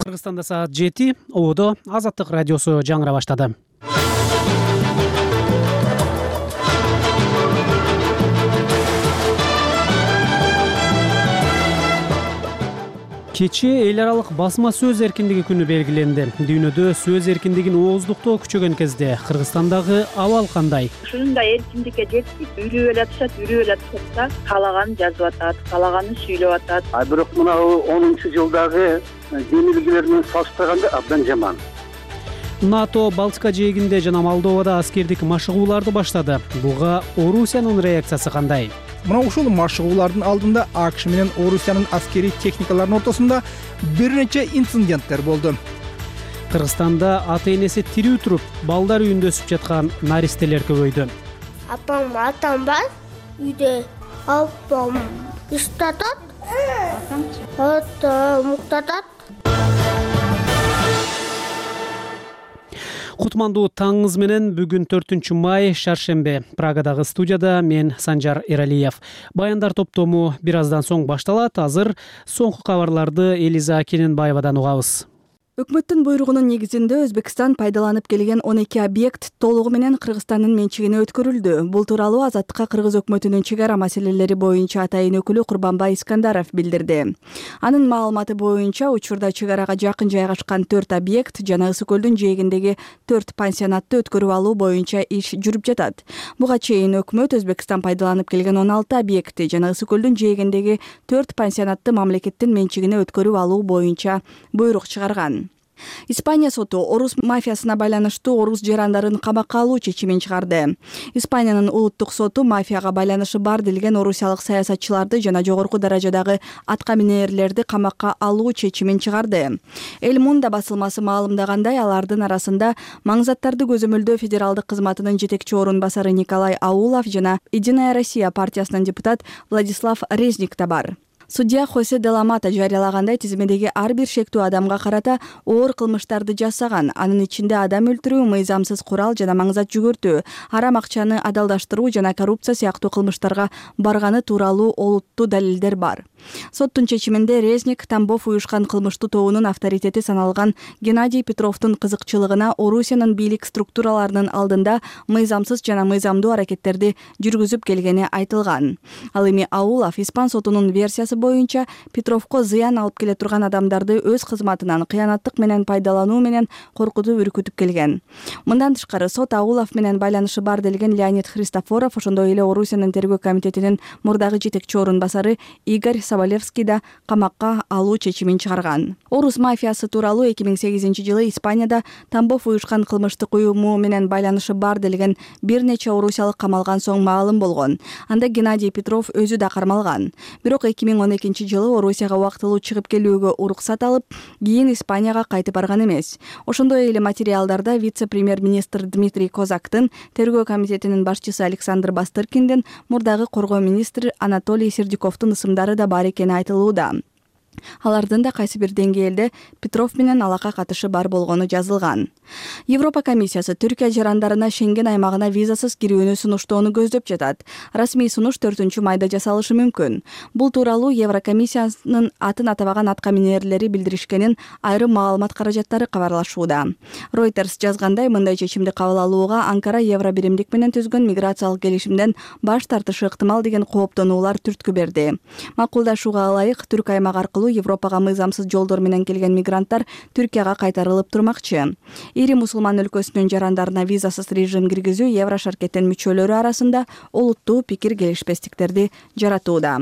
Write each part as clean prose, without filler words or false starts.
Кыргызстанда саат 7. Ободо Азаттык радиосу жаңыра баштады. Кечээ эл аралык басма сөз эркиндиги күнү белгиленди. Дүйнөдө сөз эркиндигин ооздуктоо күчөгөн кезде Кыргызстандагы абал кандай? Ушундай эркиндикке жеттик. Үрүп атышат да, каалаганын жазып атат, каалаганын сүйлөп атат. Бирок мына 10-жылдагы демилгилер менен салыштырганда абдан жаман. НАТО Балтика жээгинде жана Молдовада аскердик машыгууларды баштады. Буга Орусиянын реакциясы кандай? Мына ушул машыгуулардын алдында АКШ менен Орусиянын аскерий техникаларынын ортосунда бир нече инциденттер болду. Кыргызстанда ата-энеси тирүү туруп, балдар үйүндө өсүп жаткан наристелер көбөйдү. Атам бар, үйдө апам иштатат, атам уктатат. Кутмандуу таңыңыз менен бүгүн 4 май шаршембе. Прагадагы студияда мен Санжар Эралиев. Баяндар топтому бир аздан соң башталат. Азыр соңку кабарларды Элиза Кененбаевадан угабыз. Өкмөттүн буйругунун негизинде Өзбекстан пайдаланып келген 12 объект толугу менен Кыргызстандын менчигине өткөрүлдү. Бул тууралуу Азаттыкка Кыргыз өкмөтүнүн чек ара маселелери боюнча атайын өкүлү Курбанбай Искандаров билдирди. Анын маалыматы боюнча учурда чек арага жакын жайгашкан 4 объект жана Ысык көлдүн жээгиндеги 4 пансионатты өткөрүп алуу боюнча иш жүрүп жатат. Буга чейин өкмөт Өзбекстан пайдаланып келген 16 объекти жана Ысык көлдүн жээгиндеги 4 пансионатты мамлекеттин менчигине өткөрүп алуу боюнча буйрук чыгарган. Испания соту орус мафиясына байланыштуу орус жарандарын камакка алуу чечимин чыгарды. Испаниянын улуттук соту мафияга байланышы бар делген орусиялык саясатчыларды жана жогорку даражадагы атка минээрлерди камакка алуу чечимин чыгарды. Эл Мунда басылмасы маалымдагандай, алардын арасында маңзаттарды көзөмөлдөө федералдык кызматынын жетекчи орун басары Николай Аулов жана Единая Россия партиясынын депутат Владислав Резник да бар. Судья Хосе Деламата жарыялагандай, тизмедеги ар бир шектүү адамга карата оор кылмыштарды жасаган, анын ичинде адам өлтүрүү, мыйзамсыз курал жана маңзат жүгөртүү, арам акчаны адалдаштыруу жана коррупция сыяктуу кылмыштарга барганы тууралуу олуттуу далилдер бар. Соттун чечиминде Резник Тамбов уюшкан кылмыштуу тобунун авторитети саналган Геннадий Петровдун кызыкчылыгына Орусиянын бийлик структураларынын алдында мыйзамсыз жана мыйзамдуу аракеттерди жүргүзүп келгени айтылган. Ал эми Аулов испан сотунун версиясы боюнча Петровко зыян алып келе турган адамдарды өз кызматынан кыянаттык менен пайдалануу менен коркутуп үркүтүп келген. Мындан тышкары сот Аулов менен байланышы бар делген Леонид Христофоров, ошондой эле Орусиянын тергөө комитетинин мурдагы жетекчи орун басары Игорь Соболевский да камакка алуу чечимин чыгарган. Орус мафиясы тууралуу 2008-жылы Испанияда Тамбов уюшкан кылмыштык уюму менен байланышы бар делген бир нече орусиялык камалган соң маалым болгон. Анда Геннадий Петров өзү да кармалган. Бирок 2012-жылы Орусияга убактылуу чыгып келүүгө уруксат алып, кийин Испанияга кайтып барган эмес. Ошондой эле материалдарда вице-премьер-министр Дмитрий Козактын, тергөө комитетинин башчысы Александр Бастыркиндин, мурдагы коргоо министри Анатолий Сердюковдун ысымдары да бар экени айтылууда. Алардын да кайсы бир деңгээлде Петров менен алака катышы бар болгону жазылган. Европа комиссиясы Түркия жарандарына Шенген аймагына визасыз кирүүнү сунуштоону көздөп жатат. Расмий сунуш 4 майда жасалышы мүмкүн. Бул тууралуу Еврокомиссиянын атын атабаган атка минээрлери билдиришкенин айрым маалымат каражаттары кабарлашууда. Reuters жазгандай, мындай чечимди кабыл алууга Анкара Евробиримдик менен түзгөн миграциялык келишимден баш тартышы ыктымал деген кооптонуулар түрткү берди. Макулдашууга ылайык түрк аймак аркылуу Европага мыйзамсыз жолдор менен келген мигранттар Түркияга кайтарылып турмакчы. Ири мусулман өлкөсүнүн жарандарына визасыз режим киргизүү Еврошаркеттин мүчөлөрү арасында олуттуу пикир келишпестиктерди жаратууда.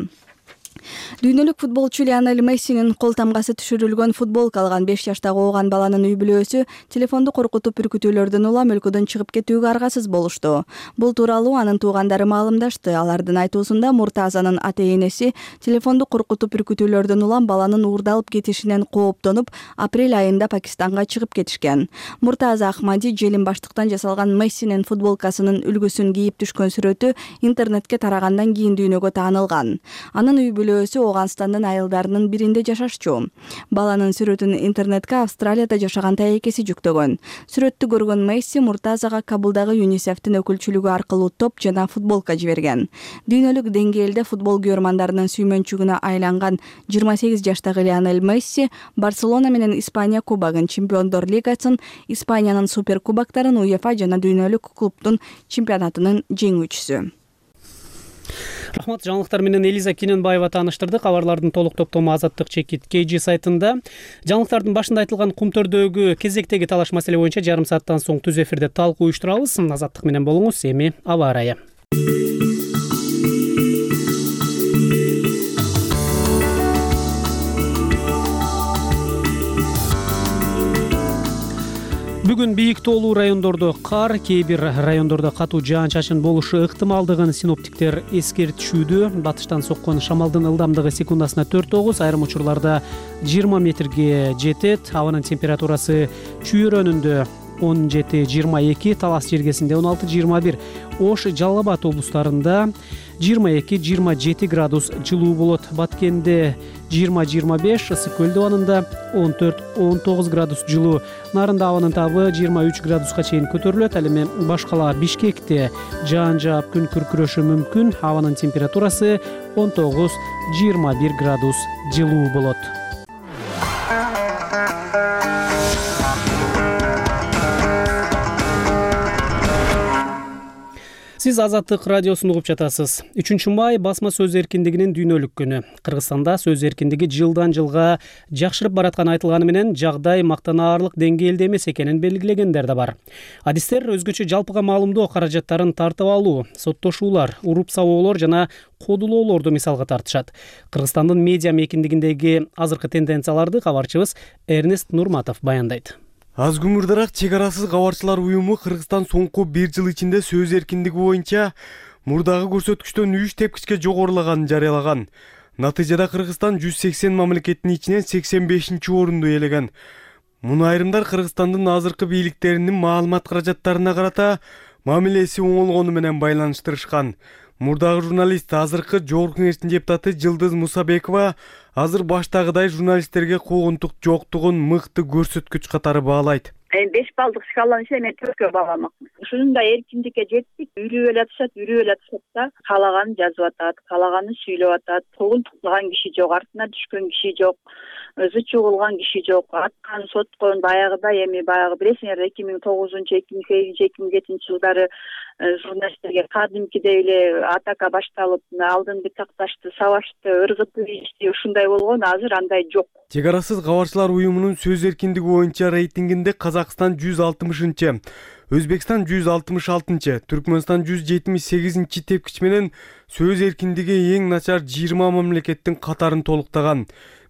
Дүйнөлүк футболчу Лионель Мессинин кол тамгасы түшүрүлгөн футболка алган 5 жаштагы ооган баланын үй бүлөсү телефонду коркутуп үркүтүүлөрдөн улам өлкөдөн чыгып кетүүгө аргасыз болушту. Бул тууралуу анын туугандары маалымдашты. Алардын айтуусунда Муртазанын ата-энеси телефонду коркутуп үркүтүүлөрдөн улам баланын уурдалып кетишинен кооптонуп, апрель айында Пакистанга чыгып кетишкен. Муртаза Ахмади желим баштыктан жасалган Мессинин футболкасынын үлгүсүн кийип түшкөн сүрөтү интернетке тарагандан кийин дүйнөгө таанылган. Анын үй бүлөөсү Ооганстандын айылдарынын биринде жашашчу. Баланын сүрөтүн интернетке Австралияда жашаган тайекеси жүктөгөн. Сүрөттү көргөн Месси Муртазага Кабулдагы ЮНИСЕФтин өкүлчүлүгү аркылуу топ жана футболка жиберген. Дүйнөлүк деңгээлде футбол күйөрмандарынын сүймөнчүгүнө айланган 28 жаштагы Лионель Месси Барселона менен Испания кубогун, Чемпиондор лигасын, Испаниянын суперкубоктарын, УЕФА жана дүйнөлүк клубдун чемпионатынын жеңүүчүсү. Рахмат, жаңылыктар менен Элиза Кененбаева тааныштырды. Кабарлардын толук топтому Азаттык чекит KG сайтында. Жаңылыктардын башында айтылган Кумтөрдөгү кезектеги талаш маселе боюнча жарым сааттан соң түз эфирде талкуу уюштурабыз. Азаттык менен болуңуз. Эми аба ырайы. Бүгүн бийик тоолуу райондордо кар, кээ бир райондордо катуу жаан-чачын болушу ыктымалдыгын синоптиктер эскертишүүдө. Батыштан соккон шамалдын ылдамдыгы секундасына 4-9, айрым учурларда 20 метрге жетет. Абанын температурасы Чүйөрөнүндө 17-22, Талас жергесинде 16-21, Ош, Жалал Абад облустарында 22-27 градус жылуу болот. Баткенде 20-25, Ысык көл абанында 14-19 градус жылуу. Нарында абанын табы 23 градуска чейин көтөрүлөт. Ал эми башкала Бишкекте жаан жаап күн күркүрөшү мүмкүн. Абанын температурасы 19-21 градус жылуу болот. Сиз Азаттык радиосун угуп жатасыз. 3-май басма сөз эркиндигинин дүйнөлүк күнү. Кыргызстанда сөз эркиндиги жылдан жылга жакшырып баратканы айтылганы менен жагдай мактанаарлык деңгээлде эмес экенин белгилегендер да бар. Адистер өзгөчө жалпыга маалымдоо каражаттарын тартып алуу, соттошуулар, уруп сабоолор жана кодулоолорду мисалга тартышат. Кыргызстандын медиа мейкиндигиндеги азыркы тенденцияларды кабарчыбыз Эрнест Нурматов баяндайт. Аз күмүрдөрак чек арасыз кабарчылар уюму Кыргызстан соңку 1 жыл ичинде сөз эркиндиги боюнча мурдагы көрсөткүчтөн 3 тепкичке жогорулаганын жарыялаган. Натыйжада Кыргызстан 180 мамлекеттин ичинен 85-орунду ээлеген. Муну айрымдар Кыргызстандын азыркы бийликтеринин маалымат каражаттарына карата мамилеси оңолгону менен байланыштырышкан. Мурдагы журналист, азыркы Жогорку Кеңештин депутаты Жылдыз Мусабекова азыр баштагыдай журналисттерге куугунтук жоктугун мыкты көрсөткүч катары баалайт. 5 балдык шкаланын ичинде мен 4кө бааламакмын. Ушундай эркиндикке жеттик. Үрүп эле атышат да, каалаганын жазып атат, каалаганын сүйлөп атат. Куугунтуктаган киши жок, артына түшкөн киши жок, өзү чугулган киши жок. Аткан, соткон баягыдай эми баягы билесиңер 2009-2008-2007 жылдары журналисттерге кадимкидей эле атака башталып, алдын бытакташты, сабашты, ыргытып ийишти, ушундай болгон. Азыр андай жок. Чек арасыз кабарчылар уюмунун сөз эркиндиги боюнча рейтингинде Казакстан 160-чы, Өзбекстан 166-чы, Түркмөнстан 178-чи тепкич менен сөз эркиндиги эң начар 20 мамлекеттин катарын толуктаган.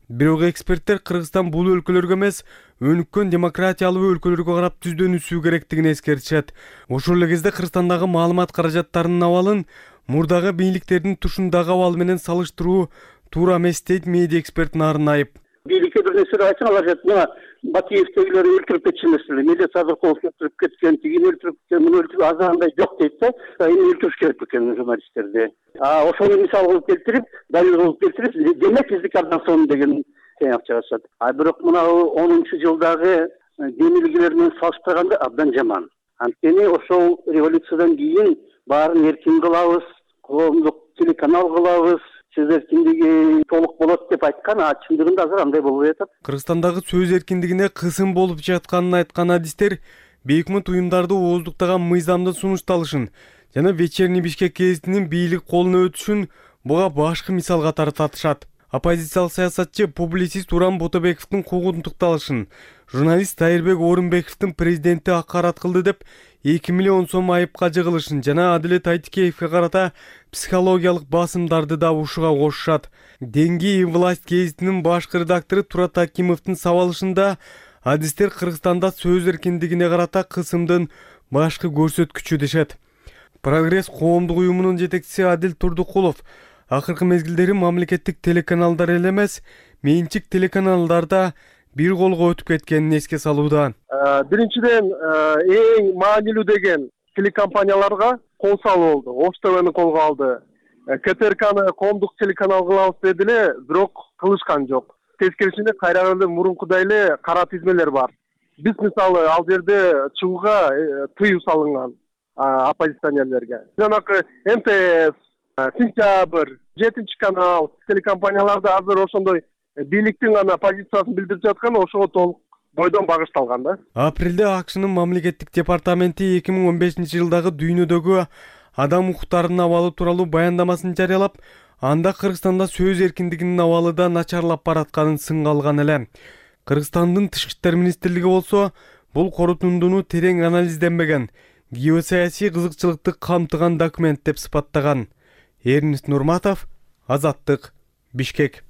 Бирок эксперттер Кыргызстан бул өлкөлөргө эмес, өнүккөн демократиялуу өлкөлөргө карап түздөнүшүү керектигин эскертишет. Ошол эле кезде Кыргызстандагы маалымат каражаттарынын абалын мурдагы бийликтердин тушундагы абалы менен салыштыруу туура эмес дейт медиа эксперт Нарын Айып. Бийликке бир нерсе айтсаң, алар айтат, мына Батиевтегилер өлтүрүп кетишмесин, Медет Садыков өлтүрүп кеткен, тигини өлтүрүп кеткен, муну өлтүрүп азырандай жок дейт да. Эми өлтүрүш керек экен журналисттерди. Ошону мисал кылып келтирип, далил кылып келтирип, демек биздики абдан сонун деген тыйнак чыгышат. Бирок мына 10-жылдагы демилгилер менен салыштырганда абдан жаман. Анткени ошол революциядан кийин баарын эркин кылабыз, коомдук телеканал кылабыз, сөз эркиндиги толук болот деп айткан, чындыгында азыр андай болбой атат. Кыргызстандагы сөз эркиндигине кысым болуп жатканын айткан адистер бейкмут уюмдарды ооздуктаган мыйзамдын сунушталышын жана Вечерний Бишкек гезитинин бийлик колуна өтүшүн буга башкы мисал катары татышат. Оппозициялык саясатчы публицист Уран Ботобековдун куугунтукталышын, журналист Тайырбек Орунбековдун президенти акарат кылды деп 2 миллион сом айыпка жыгылышын жана Адилет Айтикеевге карата психологиялык басымдарды да ушуга кошушат. Денги власть гезитинин башкы редактору Турат Акимовдун сабалышында адистер Кыргызстанда сөз эркиндигине карата кысымдын башкы көрсөткүчү дешет. Прогресс коомдук уюмунун жетекчиси Адил Турдукулов акыркы мезгилдери мамлекеттик телеканалдар эле эмес, менчик телеканалдарда бир колго өтүп кеткенин эске салууда. Биринчиден эң маанилүү деген телекомпанияларга кол салуу болду. Ош ТВни колго алды. КТРКны коомдук телеканал кылабыз деди эле, бирок кылышкан жок. Тескерисинде кайра эле мурункудай эле кара тизмелер бар. Биз мисалы ал жерде чыгууга тыюу салынган оппозиционерлерге. Жанакы МТС, Сентябрь, 7 канал телекомпанияларда азыр ошондой бийликтин гана позициясын билдирип жаткан, ошого толук бойдон багышталган да. Апрелде АКШнын мамлекеттик департаменти 2015-жылдагы дүйнөдөгү адам укуктарынын абалы тууралуу баяндамасын жарыялап, анда Кыргызстанда сөз эркиндигинин абалы да начарлап баратканын сынга алган эле. Кыргызстандын Тышкы иштер министрлиги болсо бул корутундууну терең анализденбеген, геосаясий кызыкчылыкты камтыган документ деп сыпаттаган. Эрнест Нурматов, Азаттык, Бишкек.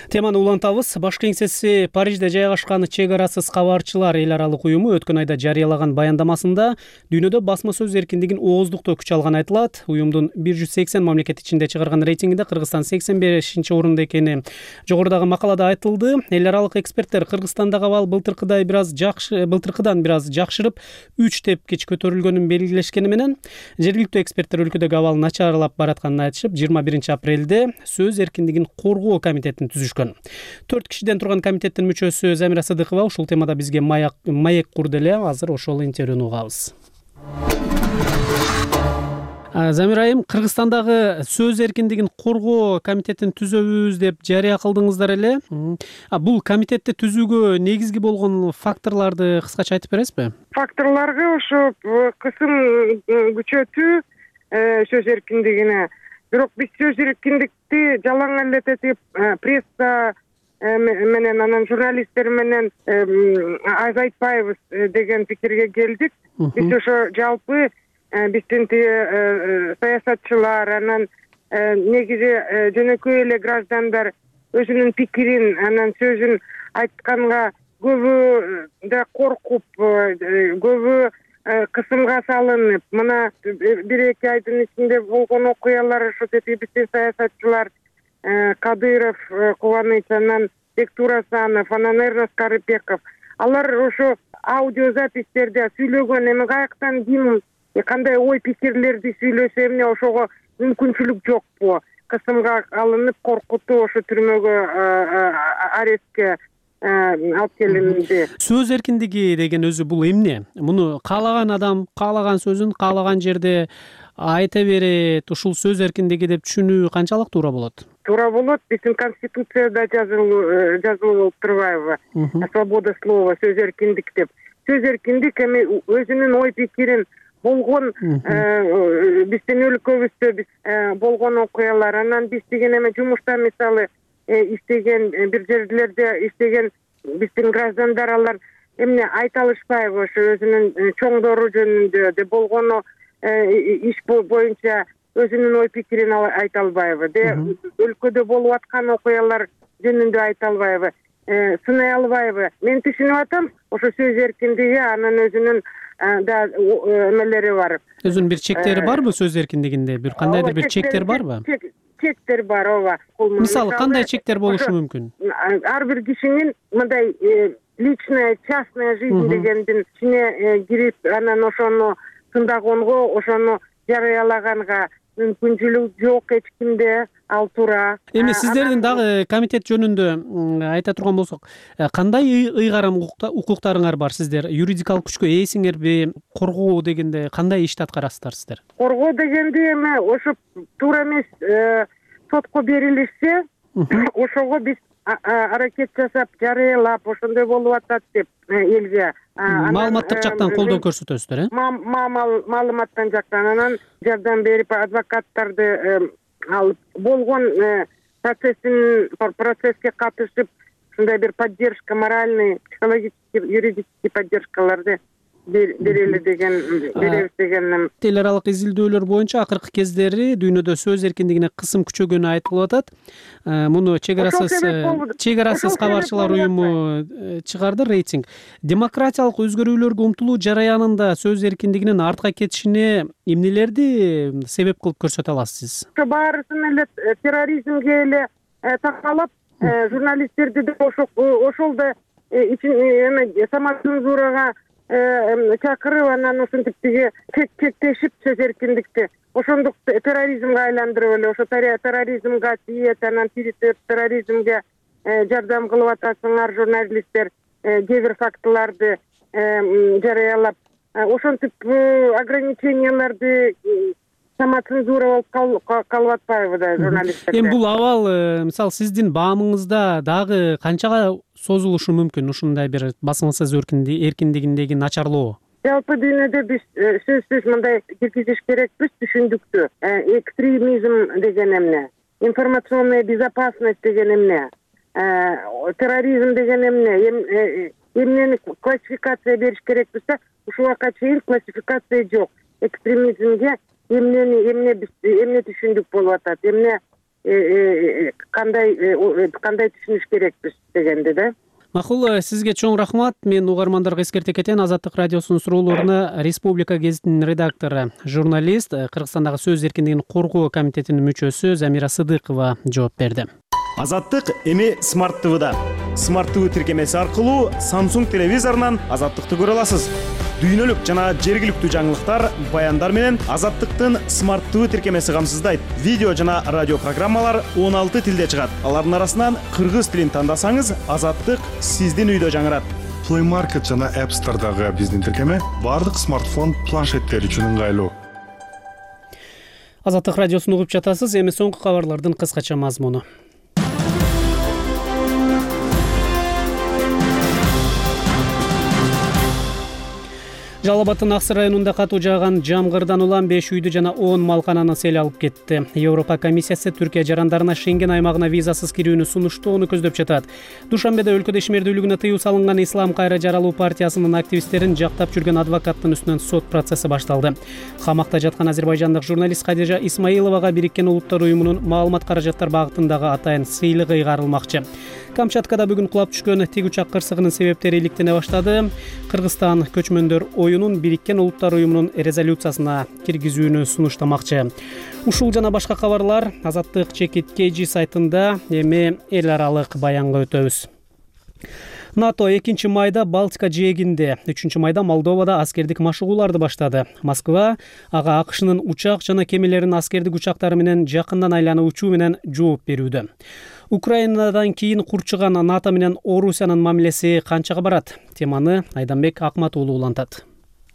Теманы улантабыз. Башкы кеңсеси Парижде жайгашкан Чек арасыз кабарчылар эл аралык уюму өткөн айда жарыялаган баяндамасында дүйнөдө басма сөз эркиндигин ооздуктоо күч алган айтылат. Уюмдун 180 мамлекет ичинде чыгарган рейтингинде Кыргызстан 85-орунда экени жогорудагы макалада айтылды. Эл аралык эксперттер Кыргызстандагы абал былтыркыдан бир аз жакшырып 3 тепкич көтөрүлгөнүн белгилешкени менен, жергиликтүү эксперттер өлкөдөгү абал начарлап баратканын айтышып, 21-апрелде сөз эркиндигин коргоо комитети түзүшкөн. 4 кишиден турган комитеттин мүчөсү Замира Садыкова ушул темада бизге маек курду эле. Азыр ошол интервьюну угабыз. Замира айым, Кыргызстандагы сөз эркиндигин коргоо комитетин түзөбүз деп жарыя кылдыңыздар эле. Бул комитетти түзүүгө негизги болгон факторлорду кыскача айтып бересизби? Факторлорго ошо кысым күчөтүү сөз эркиндигине. Бирок биз сөз эркиндикти жалаң элетип пресса менен анан журналисттер менен азайтпайбыз деген пикирге келдик. Биз ошо жалпы биздин саясатчылар, анан негизи жөнөкөй эле граждандар өзүнүн пикирин, анан сөзүн айтканга көбү да коркуп, көбү кысымга салынып, мына 1-2 айдын ичинде болгон окуялар ошо биздин саясатчылар Кадыров, Кубаныч, анан Бектур Асанов, анан Эрнест Карыпеков, алар ошо аудиозапистерде сүйлөгөн, эми каяктан ким кандай ой пикирлерди сүйлөсө эмне ошого мүмкүнчүлүк жокпу? Кысымга алынып, коркутуу, ошо түрмөгө, арестке алып келинди. Сөз эркиндиги деген өзү бул эмне? Муну каалаган адам каалаган сөзүн каалаган жерде айта берет. Ушул сөз эркиндиги деп түшүнүү канчалык туура болот? Туура болот. Биздин конституцияда жазылып турбайбы? Свобода слова, сөз эркиндик деп. Сөз эркиндик эми өзүнүн ой пикирин болгон биздин өлкөбүздө болгон окуялар, анан биз деген эми жумушта мисалы иштеген, бир жерлерде иштеген биздин граждандар, алар эмне айта алышпайбы ошо өзүнүн чоңдору жөнүндө де болгону иш боюнча өзүнүн ой пикирин айта албайбы, де өлкөдө болуп аткан окуялар жөнүндө айта албайбы, сынай албайбы. Мен түшүнүп атам, ошо сөз эркиндиги анын өзүнүн да эмелери бар. Өзүнүн бир чектери барбы сөз эркиндигинде? Бир кандайдыр бир чектер барбы? Чектер бар, ооба. Мисалы, кандай чектер болушу мүмкүн? Ар бир кишинин мындай личная, частная жизнь дегендин ичине кирип, анан ошону тындагонго, ошону жарыялаганга мүмкүнчүлүк жок эч кимде, ал туура. Эми сиздердин дагы комитет жөнүндө айта турган болсок, кандай ыйгарым укуктарыңар бар? Сиздер юридикалык күчкө ээсиңерби? Коргоо дегенде кандай ишти аткарасыздар сиздер? Коргоо дегенде эми ошо туура эмес сотко берилишсе, ошого биз аракет жасап, жарыялап, ошондой болуп атат деп элге маалыматтык жактан колдоо көрсөтөсүздөр, маалыматтан жактан анан жардам берип, адвокаттарды алып, болгон процесске катышып, ушундай бир поддержка, моральный, психологический, юридический поддержкаларды берели деген, беребиз деген. Эл аралык изилдөөлөр боюнча акыркы кездери дүйнөдө сөз эркиндигине кысым күчөгөнү айтылып атат. Муну Чек арасыз кабарчылар уюму чыгарды рейтинг. Демократиялык өзгөрүүлөргө умтулуу жараянында сөз эркиндигинин артка кетишине эмнелерди себеп кылып көрсөтө аласыз? Баарысын эле терроризмге эле такалап, журналисттерди да ошол да самоцензурага чакырып, анан ушинтип чектешип сөз эркиндикти ошондук терроризмге айландырып эле ошо терроризмге тиет, анан терроризмге жардам кылып атасыңар журналисттер, кээ бир фактыларды жарыялап, ошентип ограниченияларды самоцензура болуп калып атпайбы да журналисттерде? Эми бул абал мисалы сиздин баамыңызда дагы канчага созулушу мүмкүн ушундай бир басым сөз эркиндигиндеги начарлоо? Жалпы дүйнөдө биз сөзсүз мындай киргизиш керекпиз түшүндүктү. Экстремизм деген эмне? Информационная безопасность деген эмне? Терроризм деген эмне? Эмнени классификация бериш керекпиз да, ушуга чейин классификация жок. Экстремизмге эмне түшүндүк болуп атат, эмне кандай түшүнүш керекпиз дегенди да. Макул, сизге чоң рахмат. Мен угармандарга эскерте кетейин. Азаттык радиосунун суроолоруна Республика гезитинин редактору, журналист, Кыргызстандагы сөз эркиндигин коргоо комитетинин мүчөсү Замира Сыдыкова жооп берди. Азаттык эми Smart TV'да. Smart TV тиркемеси аркылуу Samsung телевизорунан Азаттыкты көрө аласыз. Дүйнөлүк жана жергиликтүү жаңылыктар, баяндар менен Азаттыктын Smart TV тиркемеси камсыздайт. Видео жана радио программалар 16 тилде чыгат. Алардын арасынан кыргыз тилин тандасаңыз, Азаттык сиздин үйдө жаңырат. Play Market жана App Store'дагы биздин тиркеме бардык смартфон, планшеттер үчүн ыңгайлуу. Азаттык радиосун угуп жатасыз. Эми соңку кабарлардын кыскача мазмуну. Жалал Абадтын Аксы районунда катуу жааган жамгырдан улам 5 үйдү жана 10 малкананы сел алып кетти. Европа комиссиясы Түркия жарандарына Шенген аймагына визасыз кирүүнү сунуштоону көздөп жатат. Душанбеде өлкөдө ишмердүүлүгүнө тыюу салынган Ислам кайра жаралуу партиясынын активисттерин жактап жүргөн адвокаттын үстүнөн сот процесси башталды. Камакта жаткан азербайжандык журналист Кадижа Исмаиловага Бириккен Улуттар уюмунун маалымат каражаттар багытындагы атайын сыйлыгы ыйгарылмакчы. Камчаткада бүгүн кулап түшкөн тиг учак кырсыгынын себептери иликтене баштады. Кыргызстан көчмөндөр оюнун Бириккен Улуттар уюмунун резолюциясына киргизүүнү сунуштамакчы. Ушул жана башка кабарлар Азаттык /KG сайтында. Эми эл аралык баянга өтөбүз. НАТО 2 майда Балтика жээгинде, 3 майда Молдовада аскердик машыгууларды баштады. Москва ага АКШнын учак жана кемелеринин аскердик учактары менен жакындан айланып учуу менен жооп берүүдө. Украинадан кийин курчуган НАТО менен Орусиянын мамилеси канчага барат? Теманы Айданбек Акматуулу улантат.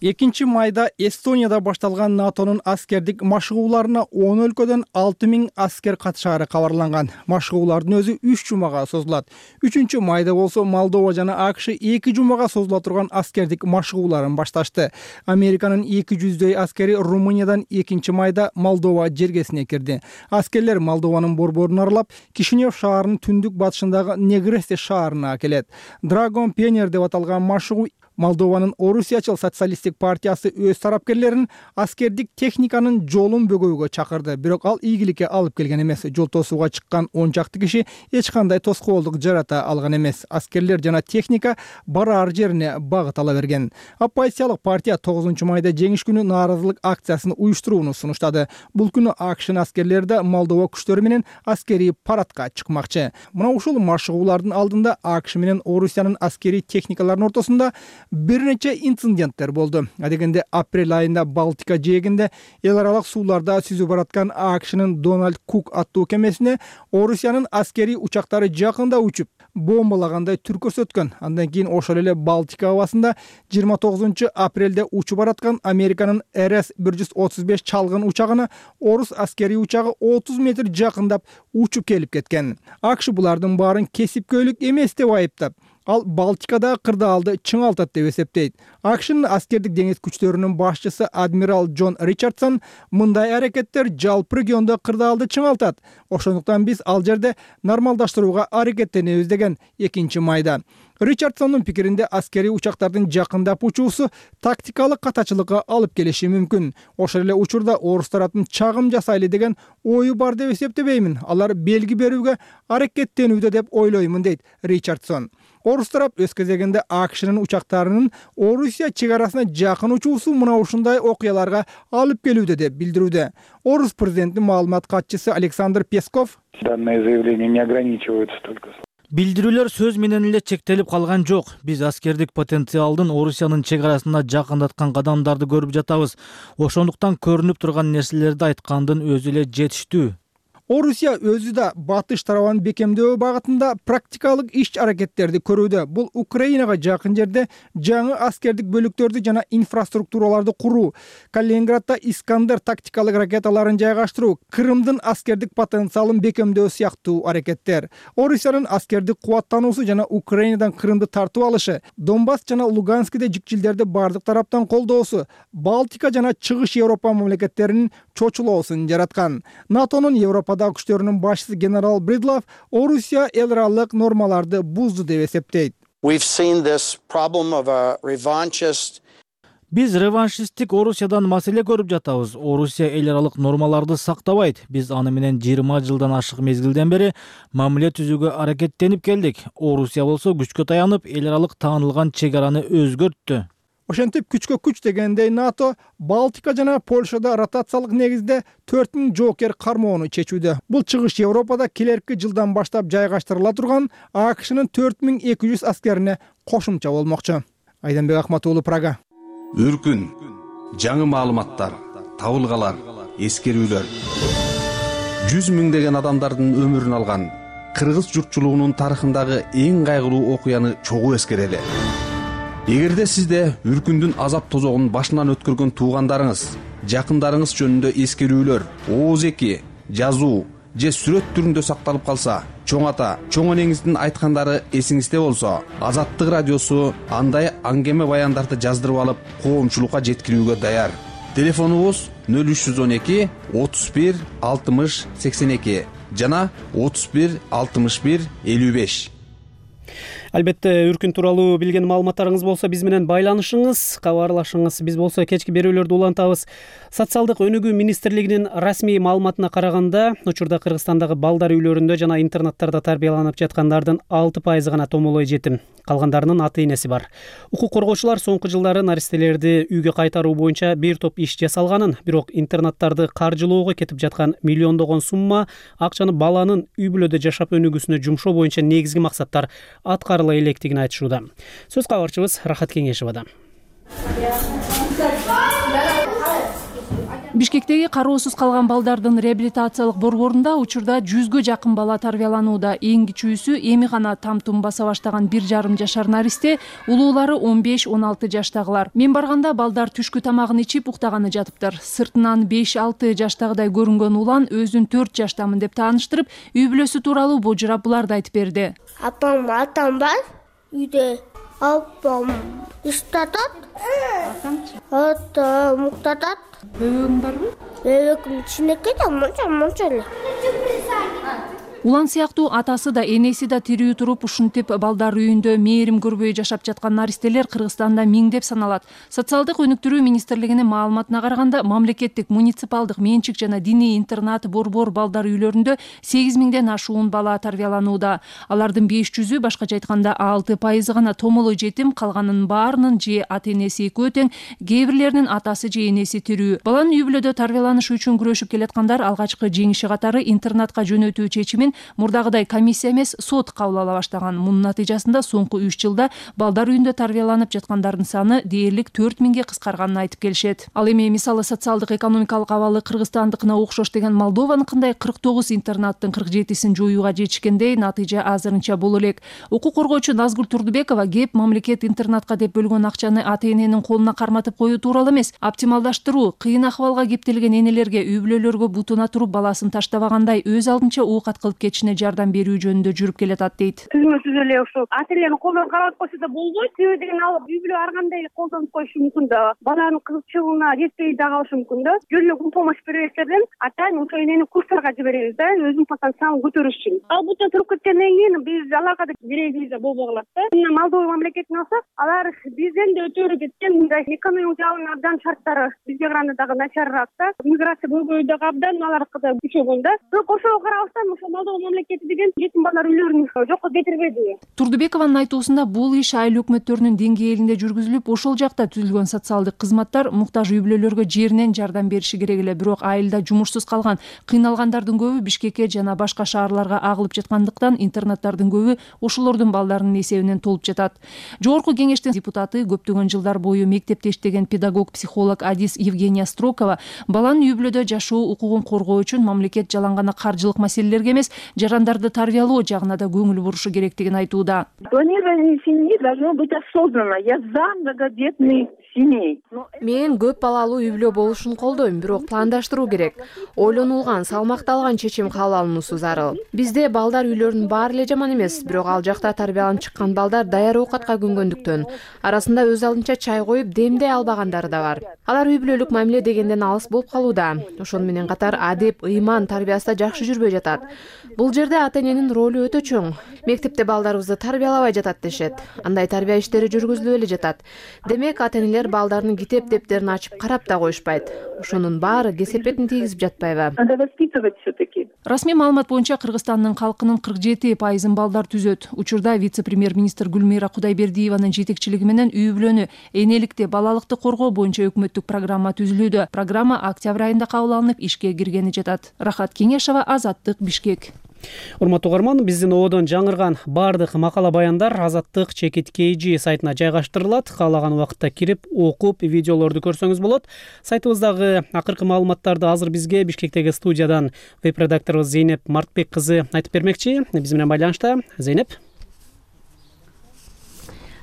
2 майда Эстонияда башталган НАТОнун аскердик машыгууларына 10 өлкөдөн 6000 аскер катышаары кабарланган. Машыгуулардын өзү 3 жумага созулат. 3 майда болсо Молдова жана АКШ 2 жумага созула турган аскердик машыгууларын башташты. Американын 200дөй аскери Румыниядан 2 майда Молдова жергесине кирди. Аскерлер Молдованын борборун аралап, Кишинев шаарынын түндүк батышындагы Негресте шаарына келет. Драгон Пенер деп аталган машыгуу Молдованын Орусиячыл социалисттик партиясы өз тарапкерлерин аскердик техниканын жолун бөгөөгө чакырды. Бирок ал ийгиликке алып келген эмес. Жол тосууга чыккан 10 чакты киши эч кандай тоскоолдук жарата алган эмес. Аскерлер жана техника бараар жерине багыт ала берген. Оппозициялык партия 9 майда жеңиш күнү нааразылык акциясын уюштурууну сунуштады. Бул күнү АКШнын аскерлери да Молдова күчтөрү менен аскерий парадка чыкмакчы. Мына ушул машыгуулардын алдында АКШ менен Орусиянын аскерий техникаларынын ортосунда бир нече инциденттер болду. Адегенде апрель айында Балтика жээгинде эл аралык сууларда сүзүп бараткан АКШнын Дональд Кук аттуу кемесине Орусиянын аскерий учактары жакында учуп бомбалагандай түр көрсөткөн. Андан кийин ошол эле Балтика абасында 29 апрелде учуп бараткан Американын RS-135 чалгын учагына орус аскерий учагы 30 метр жакындап учуп келип кеткен. АКШ булардын баарын кесипкөйлүк эмес деп айыптап, ал Балтикада кырдаалды чыңалтат деп эсептейт. АКШнын аскердик деңиз күчтөрүнүн башчысы адмирал Джон Ричардсон мындай аракеттер жалпы региондо кырдаалды чыңалтат. Ошондуктан биз ал жерде нормалдаштырууга аракеттенебиз деген 2 майда. Ричардсондун пикиринде аскерий учактардын жакындап учуусу тактикалык катачылыкка алып келиши мүмкүн. Ошол эле учурда орус тараптын чагым жасайлы деген ою бар деп эсептебеймин. Алар белги берүүгө аракеттенүүдө деп ойлоймун, дейт Ричардсон. Орус тарап өз кезегинде АКШнын учактарынын Орусия чек арасына жакын учуусу мына ушундай окуяларга алып келүүдө деп билдирүүдө. Орус президентинин маалымат катчысы Александр Песков: Данное заявление не ограничивается только Билдирүүлөр сөз менен эле чектелип калган жок. Биз аскердик потенциалдын Орусиянын чек арасына жакындаткан кадамдарды көрүп жатабыз. Ошондуктан көрүнүп турган нерселерди айткандын өзү эле жетиштүү. Орусия өзү да батыш тарабын бекемдөө багытында практикалык иш-аракеттерди көрүүдө. Бул Украинага жакын жерде жаңы аскердик бөлүктөрдү жана инфраструктураларды куруу, Калининградда Искандер тактикалык ракеталарын жайгаштыруу, Крымдын аскердик потенциалын бекемдөө сыяктуу аракеттер. Орусиянын аскердик кубаттануусу жана Украинадан Крымды тартып алышы, Донбасс жана Луганскиде жүкчүлдөрдү бардык тараптан колдоосу, Балтика жана Чыгыш Европа мамлекеттеринин чочулоосун жараткан. НАТОнун Европада күчтөрүнүн башчысы генерал Бридлов Орусия эл аралык нормаларды бузду деп эсептейт. Биз реваншисттик Орусиядан маселе көрүп жатабыз. Орусия эл аралык нормаларды сактабайт. Биз аны менен 20 жылдан ашык мезгилден бери мамиле түзүүгө аракеттенип келдик. Орусия болсо күчкө таянып, эл аралык таанылган чек араны өзгөрттү. Ошентип күчкө күч дегендей НАТО Балтика жана Польшада ротациялык негизде 4000 жоокер кармоону чечүүдө. Бул чыгыш Европада келерки жылдан баштап жайгаштырыла турган АКШнын 4200 аскерине кошумча болмокчу. Айданбек Акмат уулу, Прага. Үркүн, жаңы маалыматтар, табылгалар, эскерүүлөр. 100 миңдеген адамдардын өмүрүн алган кыргыз журтчулугунун тарыхындагы эң кайгылуу окуяны чогуу эскерели. Эгерде сизде үркүндүн азап тозогун башынан өткөргөн туугандарыңыз, жакындарыңыз жөнүндө эскерүүлөр, ооз эки, жазуу же сүрөт түрүндө сакталып калса, чоң ата, чоң энеңиздин айткандары эсиңизде болсо, Азаттык радиосу андай аңгеме баяндарды жаздырып алып, коомчулукка жеткирүүгө даяр. Телефонубуз 0312 31 60 82 жана 31 61 55. Албетте, үркүн тууралуу билген маалыматтарыңыз болсо биз менен байланышыңыз, кабарлашыңыз. Биз болсо кечки берүүлөрдү улантабыз. Социалдык өнүгүү министрлигинин расмий маалыматына караганда, учурда Кыргызстандагы балдар үйлөрүндө жана интернаттарда тарбияланып жаткандардын 6% гана томолой жетим. Калгандарынын ата-энеси бар. Укук коргоочулар соңку жылдары наристелерди үйгө кайтаруу боюнча бир топ иш жасалганын, бирок интернаттарды каржылоого кетип жаткан миллиондогон сумма акчаны баланын үй бүлөдө жашап өнүгүүсүнө жумшоо боюнча негизги максаттар аткарыла электигин айтышууда. Сөз кабарчыбыз Рахат Кеңешовада. Бишкектеги кароосуз калган балдардын реабилитациялык борборунда учурда 100гө жакын бала тарбияланууда. Эң кичүүсү эми гана там-тум баса баштаган 1,5 жашар наристе, улуулары 15-16 жаштагылар. Мен барганда балдар түшкү тамагын ичип уктаганы жатыптыр. Сыртынан 5-6 жаштагыдай көрүнгөн улан өзүн 4 жаштамын деп тааныштырып, үй бүлөсү тууралуу божурап буларды айтып берди. Апам бар, үйдө апам иштатат, атам уктатат. Бөбөгүң барбы? Бөбөгүм кичинекей да, мынча эле. Улан сыяктуу атасы да энеси да тирүү туруп ушинтип балдар үйүндө мээрим көрбөй жашап жаткан наристелер Кыргызстанда миңдеп саналат. Социалдык өнүктүрүү министрлигинин маалыматына караганда, мамлекеттик, муниципалдык менчик жана диний интернат борбор балдар үйлөрүндө 8000ден ашуун бала тарбияланууда. Алардын 500-ү, башкача айтканда 6% гана томолой жетим, калганынын баарынын же ата-энеси экөө тең, кээ бирлеринин атасы же энеси тирүү. Баланын үй бүлөдө тарбияланышы үчүн күрөшүп келаткандар алгачкы жеңиши катары интернатка жөнөтүү чечимин мурдагыдай комиссия эмес, сот кабыл ала баштаган. Мунун натыйжасында соңку 3 жылда балдар үйүндө тарбияланып жаткандардын саны дээрлик 4000ге кыскарганын айтып келишет. Ал эми мисалы социалдык экономикалык абалы Кыргызстандыкына окшош деген Молдованыкындай 49 интернаттын 47-син жоюуга жетишкендей натыйжа азырынча бул элек. Укук коргоочу Назгүл Турдубекова кеп мамлекет интернатка деп бөлгөн акчаны ата-эненин колуна карматып коюу тууралуу эмес, оптималдаштыруу, кыйын акыбалга кептелген энелерге, үй бүлөлөргө бутуна туруп баласын таштабагандай өз алдынча оокат кылып кетишине жардам берүү жөнүндө жүрүп келатат дейт. Түзмөсүз эле ошол ата-эненин колдон кармап койсо да болбойт. Себеби деген алып үй бүлө ар кандай колдонуп коюшу мүмкүн да. Баланын кызыкчылыгына жетпей да калышы мүмкүн да. Жөн эле помощь бербестерден атайын ошол энени курстарга жиберебиз да, өзүнүн потенциалын көтөрүш үчүн. Ал бутта туруп кеткенден кийин биз аларга да керегибиз да болбой калат да. Мына Молдова мамлекетин алсак, алар бизден да өтөрү кеткен, мындай экономикалык жагынан абдан шарттары бизге караганда дагы начарыраак да. Миграция көбөйдү дагы абдан аларкы да күчөгөн да. Бирок ошого карабастан ошо колдоо мамлекети деген жетим балдар үйлөрүн жокко кетирбеди. Турдубекованын айтуусунда бул иш айыл өкмөттөрүнүн деңгээлинде жүргүзүлүп, ошол жакта түзүлгөн социалдык кызматтар муктаж үй бүлөлөргө жеринен жардам бериши керек эле. Бирок айылда жумушсуз калган, кыйналгандардын көбү Бишкекке жана башка шаарларга агылып жаткандыктан интернаттардын көбү ошолордун балдарынын эсебинен толуп жатат. Жогорку кеңештин депутаты, көптөгөн жылдар бою мектепте иштеген педагог, психолог Адис Евгения Строкова баланын үй бүлөдө жашоо укугун коргоо үчүн мамлекет жалаң гана каржылык маселелерге эмес, жарандарды тарбиялоо жагына да көңүл бурушу керектигин айтууда. Планирование семьи должно быть осознанно. Я за многодетный семей. Мен көп балалуу үй бүлө болушун колдойм, бирок пландаштыруу керек. Ойлонулган, салмакталган чечим кабыл алынуусу зарыл. Бизде балдар үйлөрүнүн баары эле жаман эмес, бирок ал жакта тарбияланып чыккан балдар даяр оокатка көнгөндүктөн арасында өз алдынча чай коюп демдей албагандары да бар. Алар үй бүлөлүк мамиле дегенден алыс болуп калууда. Ошону менен катар адеп, ыйман тарбиясы да жакшы жүрбөй жатат. Бул жерде ата эненин ролу өтө чоң. Мектепте балдарыбызды тарбиялабай жатат дешет. Андай тарбия иштери жүргүзүлүп эле жатат. Демек ата энелер балдарынын китеп дептерин ачып карап да коюшпайт. Ошонун баары кесепетин тийгизип жатпайбы? Надо воспитывать все-таки. Расмий маалымат боюнча Кыргызстандын калкынын 47% балдар түзөт. Учурда вице-премьер-министр Гүлмира Кудайбердиеванын жетекчилиги менен үй бүлөнү, энеликти, балалыкты коргоо боюнча өкмөттүк программа түзүлүүдө. Программа октябрь айында кабыл алынып, ишке киргени жатат. Рахат Кеңешова, Азаттык, Бишкек. Урматтуу угарман, биздин ободон жаңырган баардык макала баяндар Азаттык ЧКТ сайтына жайгаштырылат. Каалаган убакытта кирип, окуп, видеолорду көрсөңүз болот. Сайтыбыздагы акыркы маалыматтарды азыр бизге Бишкектеги студиядан веб-редакторубуз Зейнеп Мартбек кызы айтып бермекчи. Биз менен байланышта. Зейнеп.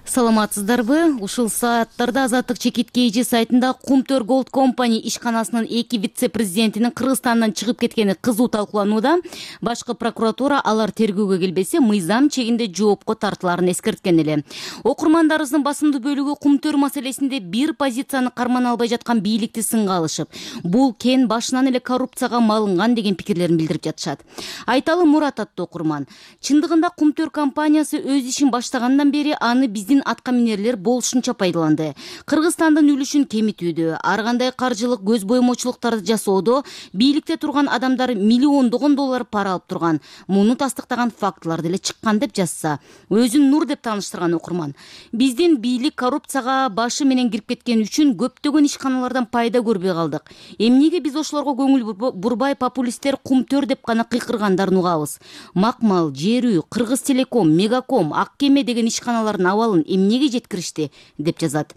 Саламатсыздарбы? Ушул сааттарда Азаттык ЧКТ сайтында Кумтөр Голд Компани ишканасынын 2 вице-президентинин Кыргызстандан чыгып кеткени кызуу талкууланууда. Башкы прокуратура алар тергөөгө келбесе, мыйзам чегинде жоопко тартыларын эскерткен эле. Окурмандарыбыздын басымдуу бөлүгү Кумтөр маселесинде бир позицияны кармана албай жаткан бийликти сынга алышып, бул кен башынан эле коррупцияга малынган деген пикирлерин билдирип жатышат. Айталы Мурат аттуу окурман, чындыгында Кумтөр компаниясы өз ишин баштагандан бери аны биздин атка минерлер болушунча пайдаланды. Кыргызстандын үлүшүн кемитүүдө, ар кандай каржылык көз боймочулуктарды жасоодо бийликте турган адамдар миллиондогон доллар пара алып турган. Муну тастыктаган фактылар деле чыккан деп жазса, өзүн нур деп тааныштырган окурман. Биздин бийлик коррупцияга башы менен кирип кеткен үчүн көптөгөн ишканалардан пайда көрбөй калдык. Эмнеге биз ошолорго көңүл бурбай популисттер Кумтөр деп гана кыйкыргандарын угабыз. Макмал, Жер үй, Кыргыз Телеком, Мегаком, Ак кеме деген ишканалардын абалын эмнеге жеткиришти деп жазат.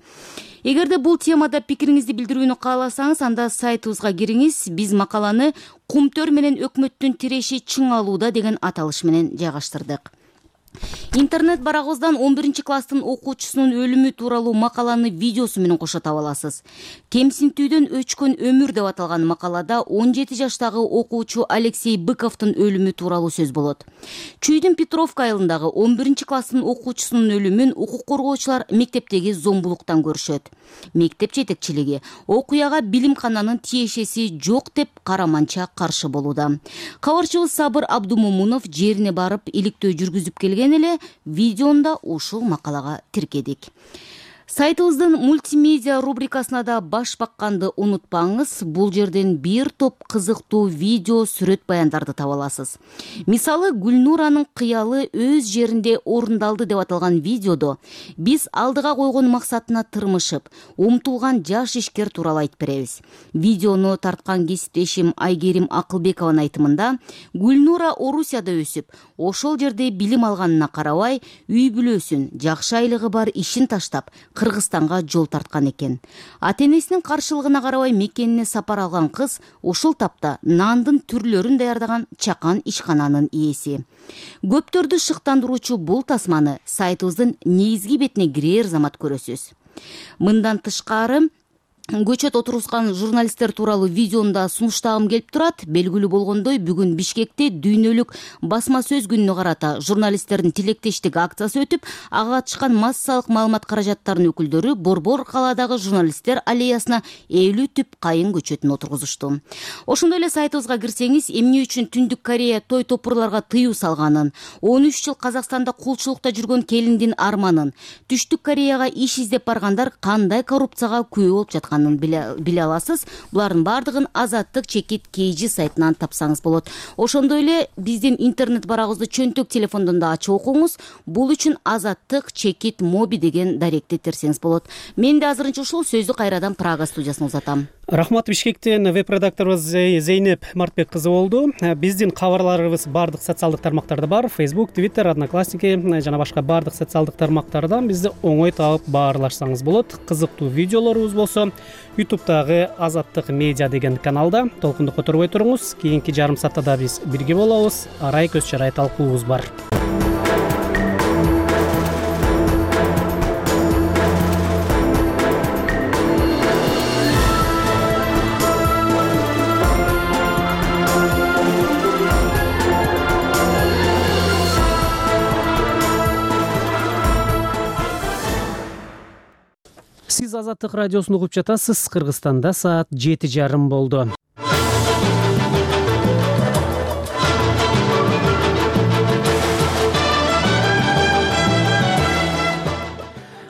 Эгерде бул темада пикириңизди билдирүүнү кааласаңыз, анда сайтыбызга кириңиз. Биз макаланы Кумтөр менен өкмөттүн тиреши чың алууда деген аталыш менен жайгаштырдык. Интернет барагыбыздан 11 класстын окуучусунун өлүмү тууралуу макаланы видеосу менен кошо таба аласыз. Кемсинтүүдөн өчкөн өмүр деп аталган макалада 17 жаштагы окуучу Алексей Быковдун өлүмү тууралуу сөз болот. Чүйдүн Петровка айылындагы 11 класстын окуучусунун өлүмүн укук коргоочулар мектептеги зомбулуктан көрүшөт. Мектеп жетекчилиги окуяга билимкананын тиешеси жок деп караманча каршы болууда. Кабарчыбыз Сабыр Абдумомунов жерине барып иликтөө жүргүзүп келген эле, видеонда ушул макалага тиркедик. Сайтыбыздын мультимедиа рубрикасына да баш бакканды унутпаңыз. Бул жерден бир топ кызыктуу видео, сүрөт баяндарды таба аласыз. Мисалы, Гүлнуранын кыялы өз жеринде орундалды деп аталган видеодо биз алдыга койгон максатына тырмышып, умтулган жаш ишкер тууралуу айтып беребиз. Видеону тарткан кесиптешим Айгерим Акылбекованын айтымында, Гүлнура Орусияда өсүп, ошол жерде билим алганына карабай, үй бүлөсүн, жакшы айлыгы бар ишин таштап, Кыргызстанга жол тарткан экен. Ата-энесинин каршылыгына карабай мекенине сапар алган кыз ушул тапта нандын түрлөрүн даярдаган чакан ишкананын ээси. Көптөрдү шыктандыруучу бул тасманы сайтыбыздын негизги бетине кирер замат көрөсүз. Мындан тышкары, көчөт отургузган журналисттер тууралуу видеонда сунуштагым келип турат. Белгилүү болгондой, бүгүн Бишкекте дүйнөлүк басма сөз күнүнө карата журналисттердин тилектештик акциясы өтүп, ага катышкан массалык маалымат каражаттарынын өкүлдөрү Борбор калаадагы журналисттер аллеясына 50 түп кайын көчөтүн отургузушту. Ошондой эле сайтыбызга кирсеңиз, эмне үчүн Түндүк Корея той топурларга тыюу салганын, 13 жыл Казакстанда кулчулукта жүргөн келиндин арманын, Түштүк Кореяга иш издеп баргандар кандай коррупцияга күбө болуп жатканын жатканын биле аласыз. Булардын баардыгын Азаттык чекит KG сайтынан тапсаңыз болот. Ошондой эле биздин интернет барагыбызды чөнтөк телефондон да ачып окуңуз. Бул үчүн Азаттык чекит моби деген даректи терсеңиз болот. Мен да азырынча ушул сөздү кайрадан Прага студиясына узатам. Рахмат. Бишкектен веб-редакторубуз Зейнеп Мартбек кызы болду. Биздин кабарларыбыз бардык социалдык тармактарда бар. Facebook, Twitter, Одноклассники жана башка бардык социалдык тармактардан бизди оңой таап баарлашсаңыз болот. Кызыктуу видеолорубуз болсо YouTube'дагы Азаттык медиа деген каналда толкунду которбой туруңуз. Кийинки жарым саатта да биз бирге болобуз. Арай көз чарай талкуубуз бар. Сиз Азаттык радиосун угуп жатасыз. Кыргызстанда саат 7:30 болду.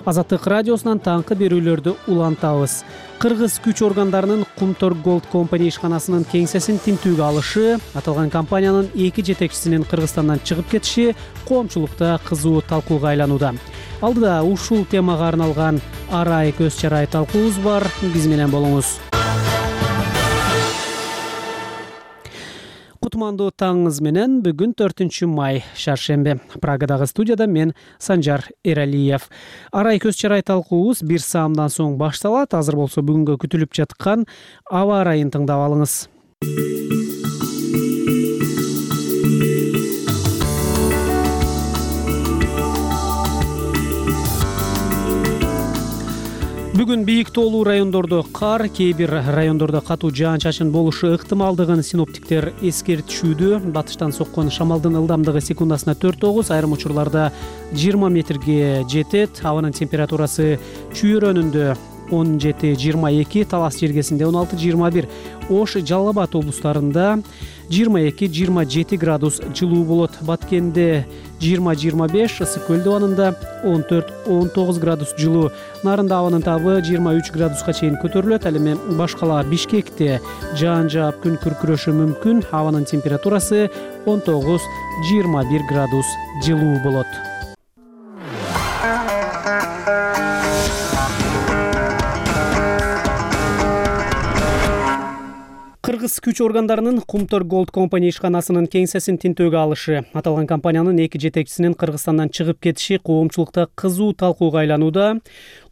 Азаттык радиосунан таңкы берүүлөрдү улантабыз. Кыргыз күч органдарынын Кумтор Gold Company ишканасынын кеңсесин тинтүүгө алышы, аталган компаниянын 2 жетекчисинин Кыргызстандан чыгып кетиши коомчулукта кызуу талкууга айланууда. Алдыда ушул темага арналган Арай көз чарай талкуубуз бар. Биз менен болуңуз. Кутмандуу таңыңыз менен бүгүн 4 май шаршембе. Прагадагы студияда мен Санжар Эралиев. Арай көз чарай талкуубуз 1 саамдан соң башталат. Азыр болсо бүгүнгө күтүлүп жаткан аба ырайын тыңдап алыңыз. Бүгүн бийик тоолуу райондордо кар, кээ бир райондордо катуу жаан-чачын болушу ыктымалдыгын синоптиктер эскертишүүдө. Батыштан соккон шамалдын ылдамдыгы секундасына 4-9, айрым учурларда 20 метрге жетет. Абанын температурасы чүйөрөнүндө 17-22, Талас жергесинде 16-21, Ош, Жалал Абад облустарында 22-27 градус жылуу болот. Баткенде 20-25, Ысык көл абанында 14-19 градус жылуу. Нарында абанын табы 23 градуска чейин көтөрүлөт. Ал эми башкала Бишкекте жаан жаап күн күркүрөшү мүмкүн. Абанын температурасы 19-21 градус жылуу болот. Кыргыз күч органдарынын Кумтор Gold Company ишканасынын кеңсесин тинтүүгө алышы, аталган компаниянын 2 жетекчисинин Кыргызстандан чыгып кетиши коомчулукта кызуу талкууга айланууда.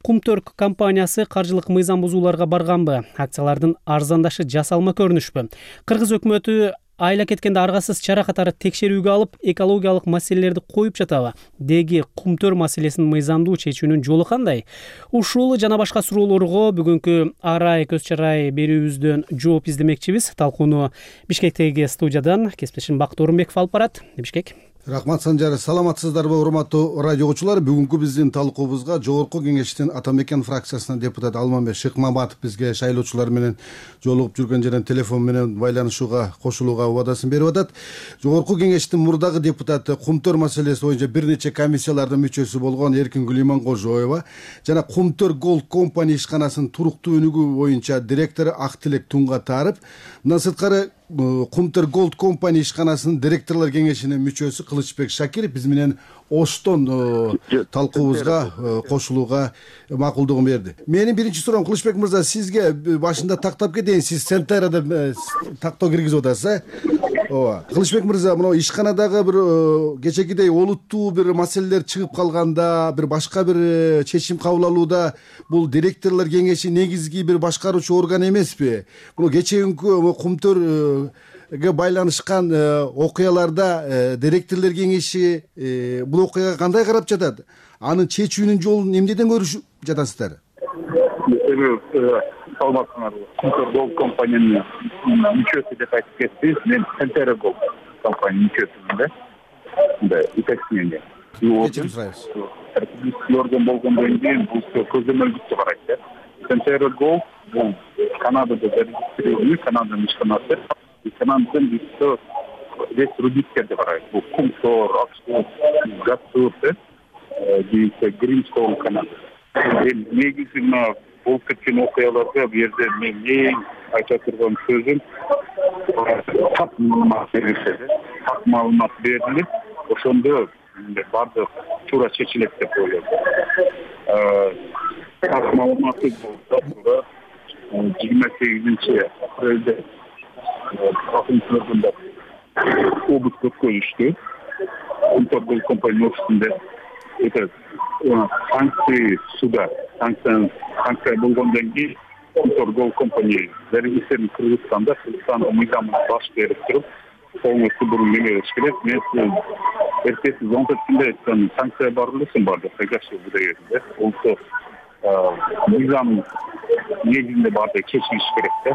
Кумтор компаниясы каржылык мыйзам бузууларга барганбы? Акциялардын арзандашы жасалма көрүнүшпү? Кыргыз өкмөтү айла кеткенде аргасыз чара катары текшерүүгө алып, экологиялык маселелерди коюп жатабы? Деги Кумтор маселесин мыйзамдуу чечүүнүн жолу кандай? Ушул жана башка суроолорго бүгүнкү Арай көз чарай берүүбүздөн жооп издемекчибиз. Талкууну Бишкектеги студиядан кесиптешим Бакыт Орунбеков алып барат. Бишкек. Рахмат Санжар, саламатсыздарбы урматтуу радио угуучулар? Бүгүнкү биздин талкуубузга Жогорку Кеңештин Ата Мекен фракциясынын депутаты Алмамбет Шыкмаматов бизге шайлоочулар менен жолугуп жүргөн жерден телефон менен байланышууга кошулууга убадасын берип атат. Жогорку Кеңештин мурдагы депутаты Кумтор маселеси боюнча бир нече комиссиялардын мүчөсү болгон Эркингүл Иманкожоева жана Кумтор Gold Company ишканасынын туруктуу өнүгүү боюнча директору Актилек Туңгатаров, мындан сырткары Кумтор Gold Company ишканасынын директорлор кеңешинин мүчөсү Кылычбек Шакиров биз менен Оштон талкуубузга кошулууга макулдугун берди. Менин биринчи суроом, Кылычбек мырза, сизге башында тактап кетейин. Сиз Центрада тактоо киргизип атасыз, ооба. Кылычбек мырза, мына ишканадагы бир кечекидей олуттуу бир маселелер чыгып калганда, бир башка бир чечим кабыл алууда бул директорлор кеңеши негизги бир башкаруучу орган эмеспи? Мына кечээкүнкү Кумтор байланышкан окуяларда директорлор кеңеши бул окуяга кандай карап жатат? Анын чечүүнүн жолун эмнеден көрүшүп жатасыздар? Саламатсыңарбы? Кумтор Gold Company'нын мүчөсү деп айтып кеттиңиз. Мен Центра Gold Company мүчөсүмүн да. Мындай уточнение. Кечирим сурайбыз. Орган болгондон кийин бул көзөмөлдүктү карайт да. Центра Gold бул Канадада зарегистрированный Канаданын ишканасы. Канададан весь рудниктерди карайт. Бул Кумтор, Оксфорд, Гастур, Гримстоун, Канада. негизи мына болуп кеткен окуяларга бу жерде мен эң айта турган сөзүм так маалымат берилсе, так маалымат берилип, ошондо баардык туура чечилет деп ойлойм. Так маалыматы болсо 28-апрелде прокуратурада обыск өткөрүштү. Кумтөр компания офисинде санкция суда, санкция болгондон кийин Кумтөр компания зарегистрирован Кыргызстанда, Кыргызстандын мыйзамына баш берип туруп, полностью буну неме кылыш керек. Мен эртеси 17-синде айткан санкция бар элесин барды, кайгасы буда жерде. Олсо мыйзам негизинде барды чечилиш керек да.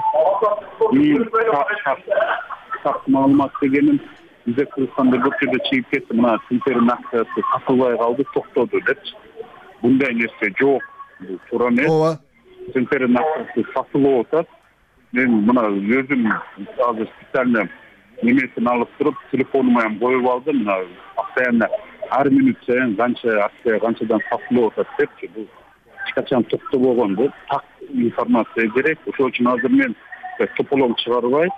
Так маалымат дегеним бизде Кыргызстанда бир жерде чыгып кетти, мына Центрдин акциясы сатылбай калды, токтоду депчи. Мындай нерсе жок. Бул туура эмес. Ооба. Центрдин акциясы сатылып атат. Мен мына өзүм азыр специально немесин алып туруп, телефонума ham коюп алдым. Мына постоянно ар минут сайын канча акция канчадан сатылып атат депчи. Бул эч качан токтобогон деп так информация керек. Ошол үчүн азыр мен тополоң чыгарбай,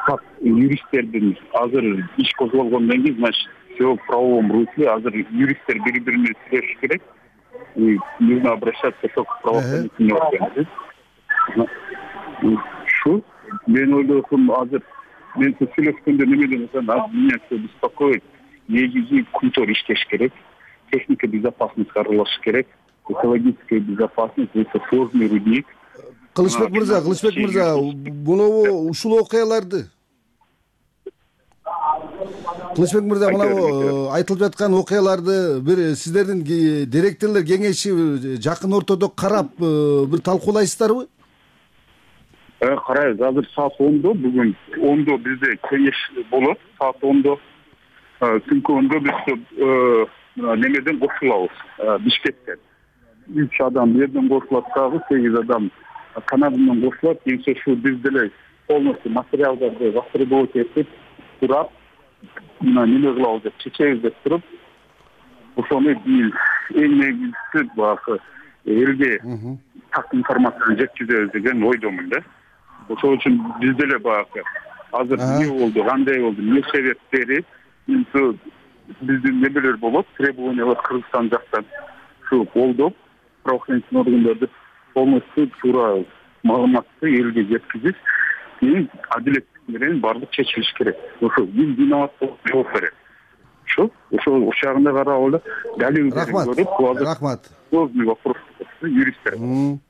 как юристтердин азыр иш козголгондон кийин, значит, все в правовом русле. Азыр юристтер бири-бирине сүйлөшүш керек. И нужно обращаться только к правоохранительным органам. Шу мен ойлойм, азыр мен сүйлөшкөндө неме деп атам, меня все беспокоит. Негизи Кумтөр иштеш керек, техника безопасности аралашыш керек, экологическая безопасность, это сложный рудник. Кылычбек мырза, мынабу ушул окуяларды Кылычбек мырза, мынабу айтылып жаткан окуяларды бир сиздердин директорлор кеңеши жакын ортодо карап бир талкуулайсыздарбы? Карайбыз. Азыр саат 10-до, бүгүн 10-до бизде кеңеш болот. Саат 10-до түнкү 10-до биз немеден кошулабыз, Бишкектен. 3 адам жерден кошулат, дагы 8 адам Канададан кошулат. Кийинче шу биз деле полностью материалдарды востребовать этип турап, мына неме кылабыз деп чечебиз деп туруп, ошону эң негизгиси баягы элге так информацияны жеткизебиз деген ойдомун да. Ошол үчүн биз деле баягы азыр эмне болду, кандай болду, эмне себептери, биздин немелер болот, требованиялар Кыргызстан жактан шу колдоп, правоохранительный органдарды полностью туура маалыматты элге жеткизип, кийин адилеттик менен баардык чечилиш керек. Ошо ким виноват болуп жооп берет. Ошол ошагында карап эле далилдерин көрүп, рахмат. Сложный вопрос юристтер.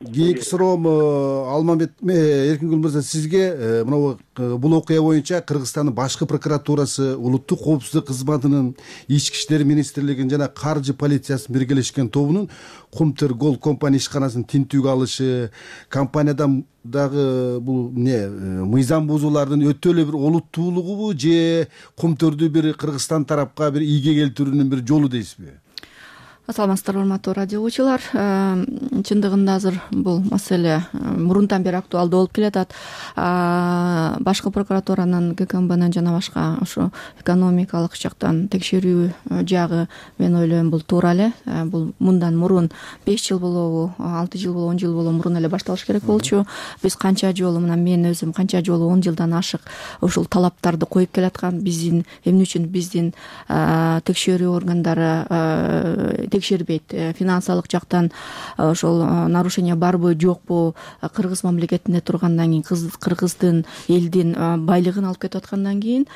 Кийинки суроом Алмамбет Эркингүл мырза, сизге бул окуя боюнча Кыргызстандын башкы прокуратурасы, улуттук коопсуздук кызматынын, ички иштер министрлигинин жана каржы полициясынын биргелешкен тобунун Кумтөр компания ишканасын тинтүүгө алышы, компаниядан дагы бул мыйзам бузуулардын өтө эле бир олуттуулугубу же Кумтөрдү бир Кыргызстан тарапка бир ийге келтирүүнүн бир жолу дейсизби? Саламатсыздарбы, урматтуу радио угуучулар. Чындыгында азыр бул маселе мурунтан бери актуалдуу болуп келатат. Башкы прокуратуранын, ГКМБнын жана башка ошо экономикалык жактан текшерүү жагы, мен ойлойм, бул туура эле. Бул мындан мурун 5 жыл болобу, 6 жыл болобу, 10 жыл болобу мурун эле башталыш керек болчу. Биз канча жолу, мына мен өзүм канча жолу 10 жылдан ашык ушул талаптарды коюп келаткан, биздин эмне үчүн биздин текшерүү органдары текшербейт, финансылык жактан ошол нарушение барбы жокпу, Кыргыз мамлекетинде тургандан кийин, Кыргыздын элдин байлыгын алып кетип аткандан кийин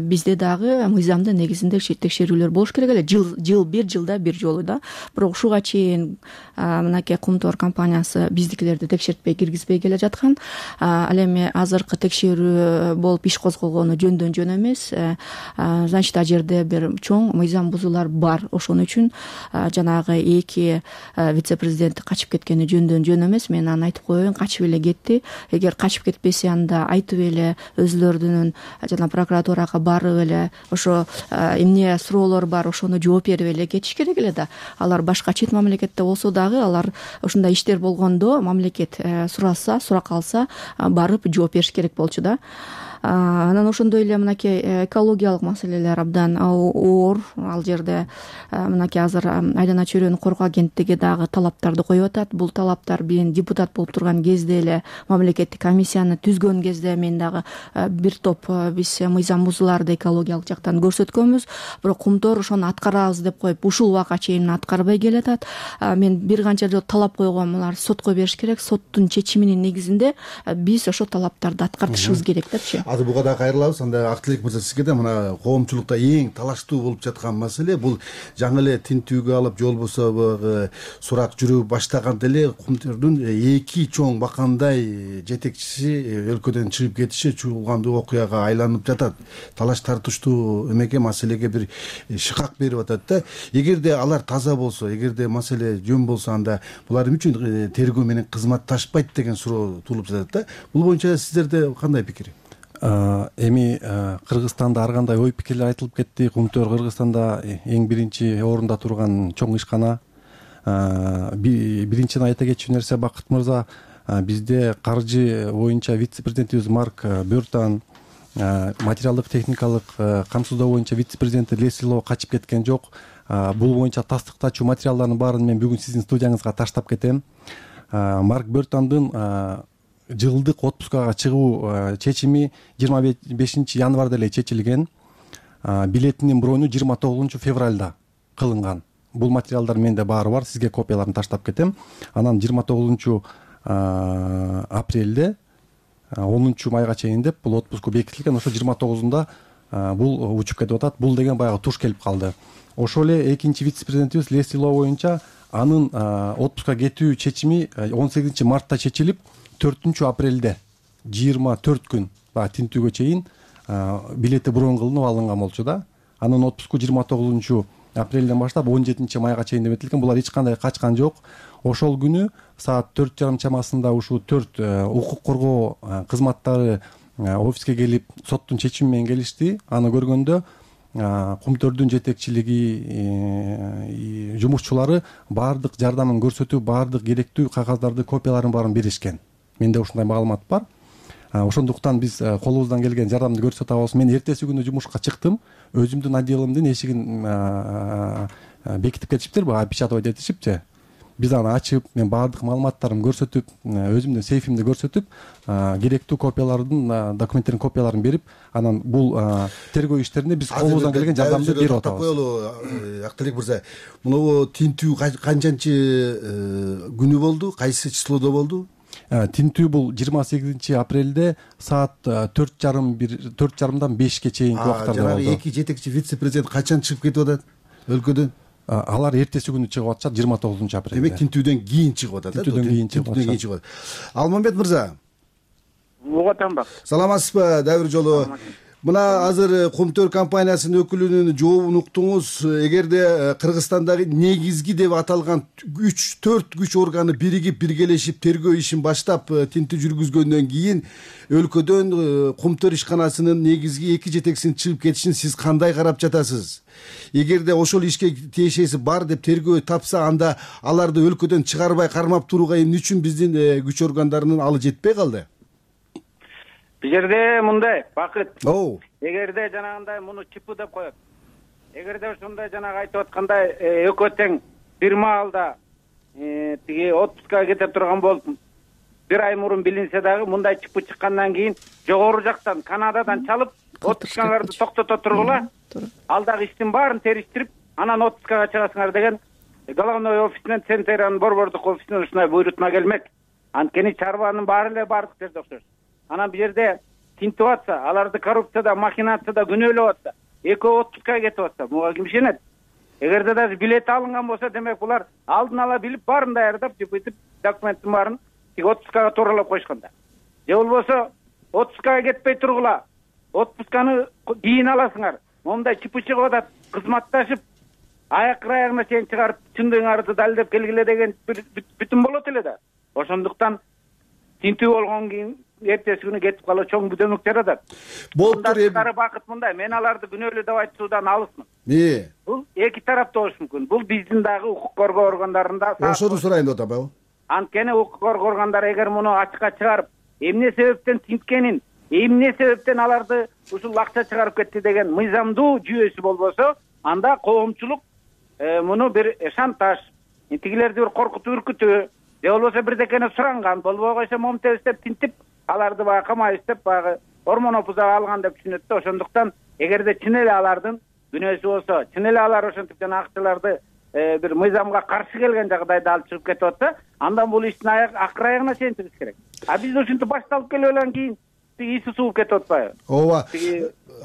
бизде дагы мыйзамдын негизинде текшерүүлөр болуш керек эле. Бир жылда бир жолу да. Бирок ушуга чейин мынакей Кумтөр компаниясы биздикилерди текшертпей киргизбей келе жаткан. Ал эми азыркы текшерүү болуп иш козголгону жөндөн жөн эмес. Значит, ал жерде бир чоң мыйзам бузуулар бар. Ошон үчүн жанагы 2 вице-президент качып кеткени жөндөн жөн эмес. Мен аны айтып коеюн, качып эле кетти. Эгер качып кетпесе, анда айтып эле өзүлөрүнүн жана прокуратурага барып эле ошо эмне суроолор бар, ошону жооп берип эле кетиш керек эле да. Алар башка чет мамлекетте болсо дагы, алар ушундай иштер болгондо мамлекет сураса, сурак алса, барып жооп бериш керек болчу да. Анан ошондой эле мынакей экологиялык маселелер абдан оор. Ал жерде мынакей азыр Айдана чөйрөнү коргоо агенттиги дагы талаптарды коюп атат. Бул талаптар мен депутат болуп турган кезде эле мамлекеттик комиссияны түзгөн кезде мен дагы бир топ биз мыйзам бузууларды экологиялык жактан көрсөткөнбүз. Бирок Кумтөр ошону аткарабыз деп коюп ушул убакка чейин аткарбай келатат. Мен бир канча жолу талап койгом, булар сотко бериш керек. Соттун чечиминин негизинде биз ошо талаптарды аткартышыбыз керек депчи. Азыр буга да кайрылабыз. Анда Актилек мырза, сизге да мына коомчулукта эң талаштуу болуп жаткан маселе бул жаңы эле тинтүүгө алып же болбосо сурак жүрүп баштаганда эле Кумтөрдүн эки чоң бакандай жетекчиси өлкөдөн чыгып кетиши чуулгандуу окуяга айланып жатат. Талаш тартыштуу эмеге, маселеге бир шыкак берип атат да. Эгерде алар таза болсо, эгерде маселе жөн болсо, анда булар үчүн тергөө менен кызматташпайт деген суроо туулуп жатат да. Бул боюнча сиздерде кандай пикир? Эми Кыргызстанда ар кандай ой пикирлер айтылып кетти. Кумтөр Кыргызстанда эң биринчи орунда турган чоң ишкана. Биринчиден айта кетчү нерсе, Бакыт мырза, бизде каржы боюнча вице-президентибиз Марк Бёртан, материалдык техникалык камсыздоо боюнча вице-президенти Лесли Ло качып кеткен жок. Бул боюнча тастыктачу материалдардын баарын мен бүгүн сиздин студияңызга таштап кетем. Марк Бёртандын жылдык отпускага чыгуу чечими 25 январда эле чечилген. Билетинин брону 29 февралда кылынган. Бул материалдар менде баары бар, сизге копияларын таштап кетем. Анан 29 апрелде 10 майга чейин деп бул отпуску бекитилген. Ошо 29-унда бул учуп кетип атат. Бул деген баягы туш келип калды. Ошол эле экинчи вице-президентибиз Лесли Ло боюнча анын отпуска кетүү чечими 18 мартта чечилип, 4 апрелде 24 күн баягы тинтүүгө чейин билети брон кылынып алынган болчу да. Анын отпуску 29 апрелден баштап 17 майга чейин деп этилген. Булар эч кандай качкан жок. Ошол күнү саат 4:30 чамасында ушул 4 укук коргоо кызматтары офиске келип соттун чечими менен келишти. Аны көргөндө Кумтөрдүн жетекчилиги, жумушчулары баардык жардамын көрсөтүп, баардык керектүү кагаздарды, копияларын баарын беришкен. Менде ушундай маалымат бар. Ошондуктан биз колубуздан келген жардамды көрсөтө алабыз. Мен эртеси күнү жумушка чыктым. Өзүмдүн отделимдин эшигин бекитип кетишиптир, баягы опечатывать этишипчи. Биз аны ачып, мен баардык маалыматтарымды көрсөтүп, өзүмдүн сейфимди көрсөтүп, керектүү копиялардын, документтердин копияларын берип, анан бул тергөө иштерине биз колубуздан келген жардамды берип атабыз. Актилек мырза, мына тинтүү канчанчы күнү болду, кайсы числодо болду? Тинтүү бул 28 апрелде саат 4:30дан 5ке чейинки убактарда болду. Жанагы эки жетекчи вице-президент качан чыгып кетип атат өлкөдөн? Алар эртеси күнү чыгып атышат, 29 апрелде. Демек тинтүүдөн кийин чыгып атат. Тинтүүдөн кийин чыгып атышат. Алмамбет мырза. Угатам. Саламатсызбы? Дагы бир жолу. Мына азыр Кумтөр компаниясынын өкүлүнүн жообун уктуңуз. Эгерде Кыргызстандагы негизги деп аталган 3-4 күч органы биригип, биргелешип тергөө ишин баштап тинтүү жүргүзгөндөн кийин өлкөдөн Кумтөр ишканасынын негизги эки жетекчисинин чыгып кетишин сиз кандай карап жатасыз? Эгерде ошол ишке тиешеси бар деп тергөө тапса, анда аларды өлкөдөн чыгарбай кармап турууга эмне үчүн биздин күч органдарынын алы жетпей калды? Бул жерде мындай, Бакыт. Эгерде жанагындай муну ЧП деп коет. Эгерде ошондой жанагы айтып аткандай экөө тең бир маалда тиги отпускага кете турган болуп, бир ай мурун билинсе дагы, мындай ЧП чыккандан кийин жогору жактан Канададан чалып, отпускаңарды токтото тургула. Ал дагы иштин баарын териштирип, анан отпускага чыгасыңар деген головной офисинен, Центрянын борбордук офисинен ушундай буйрутма келмек. Анткени чарбанын баары эле бардык жерде окшош. Анан бул жерде тинтип атса, аларды коррупцияда, махинацияда күнөөлөп атса, экөө отпускага кетип атса, буга ким ишенет? Эгерде даже билет алынган болсо, демек булар алдын ала билип, баарын даярдап, жыпытып, документтин баарын тиги отпускага тууралап койшканда. Же болбосо, отпускага кетпей тургула, отпусканы кийин аласыңар. Мондай ЧП чыгып атат, кызматташып, аягына чейин чыгарып, чындыгыңарды далилдеп келгиле деген бүтүн болот эле да. Ошондуктан тинтүү болгон кийин эртеси күнү кетип калуу чоң бүдөмөк жаратат. Болуптур Бакыт мындай, мен аларды күнөөлүү деп айтуудан алысмын. Бул эки тараптуу болушу мүмкүн. Бул биздин дагы укук коргоо органдарында. Ошону сурайын деп атам. Анткени укук коргоо органдары эгер муну ачыкка чыгарып, эмне себептен тинткенин, эмне себептен аларды ушул акча чыгарып кетти деген мыйзамдуу жүйөсү болбосо, анда коомчулук муну бир шантаж, тигилерди бир коркутуп үркүтүү же болбосо бирдекени суранган, болбой койсо момтебиз деп тинтип аларды баягы камайбыз деп баягы ормон опузага алган деп түшүнөт да. Ошондуктан эгерде чын эле алардын күнөөсү болсо, чын эле алар ошентип жана акчаларды бир мыйзамга каршы келген жагдайда алып чыгып кетип атса, андан бул иштин акыр аягына чейинчибиз керек. А биз ушинтип башталып келгенден кийин иси сууп кетип атпайбы? ооба.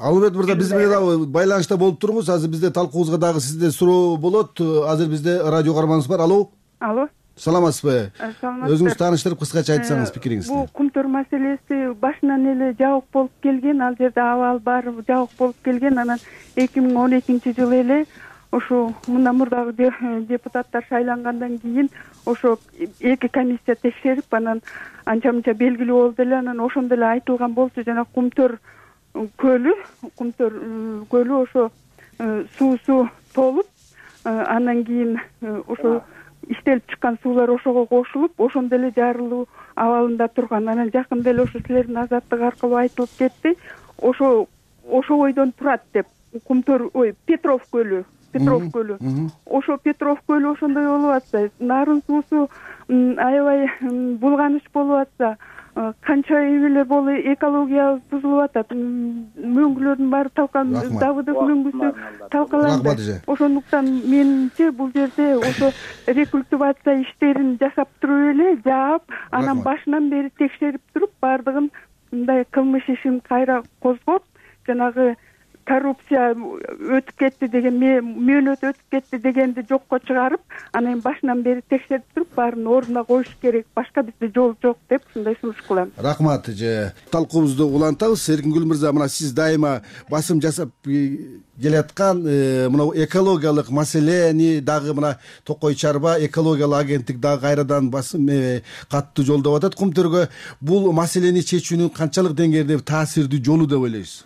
Алымбет мырза, биз менен дагы байланышта болуп туруңуз. Азыр бизде талкуубузга дагы сизде суроо болот. Азыр бизде радио каарманыбыз бар. Алло. Алло. Саламатсызбы? Саламатсызбы. Өзүңүз тааныштырып кыскача айтсаңыз пикириңизди. Бул кумтөр маселеси башынан эле жабык болуп келген, ал жерде абал баары жабык болуп келген. Анан 2012-жылы эле ошо мындан мурдагы депутаттар шайлангандан кийин ошо эки комиссия текшерип, анан анча мынча белгилүү болду эле. Анан ошондо эле айтылган болчу, жана Кумтөр көлү ошо суусу толуп, андан кийин ошо иштелип чыккан суулар ошого кошулуп, ошондо эле жарылуу абалында турган. Анан жакында эле ошо силердин Азаттык аркылуу айтылып кетти. Ошо бойдон турат деп. Кумтөр, Петров көлү. Ошо Петров көлү ошондой болуп атса, нарын суусу аябай булганыч болуп атса, канча эле болу экология бузулуп атат. Мөңгүлөрдүн баары талкаланып, Давыдов мөңгүсү талкаланды. Ошондуктан менимче бул жерде ошо рекультивация иштерин жасап туруп эле, жаап, анан башынан бери текшерип туруп, баардыгын мындай кылмыш ишин кайра козгоп, жанагы коррупция өтүп кетти деген, мөөнөт өтүп кетти дегенди жокко чыгарып, анан башынан бери текшерип туруп, баарын ордуна коюш керек. Башка бизде жол жок деп ушундай сунуш кылам. Рахмат. Талкуубузду улантабыз. Эркингүл мырза, мына сиз дайыма басым жасап келаткан мына экологиялык маселени дагы мына Токой Чарба экологиялык агенттик дагы кайрадан басым каттуу жолдоп атат Кумтөргө. Бул маселени чечүүнүн канчалык деңгээлде таасирдүү жолу деп ойлойсуз?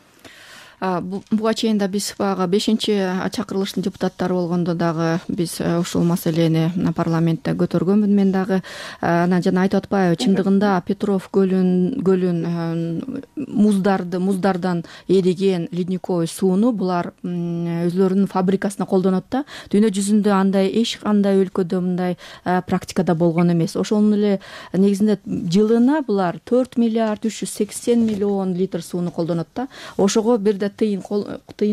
Буга чейин да биз баягы 5-чакырылыштын депутаттары болгондо дагы биз ушул маселени парламентте көтөргөнмүн мен дагы. Анан жана айтып атпайбы, чындыгында Петров көлүн муздардан эриген ледниковый сууну булар өзлөрүнүн фабрикасына колдонот да. Дүйнө жүзүндө андай эч кандай өлкөдө мындай практикада болгон эмес. Ошонун эле негизинде жылына булар 4 миллиард 380 миллион литр сууну колдонот да. Ошого бирде тыйын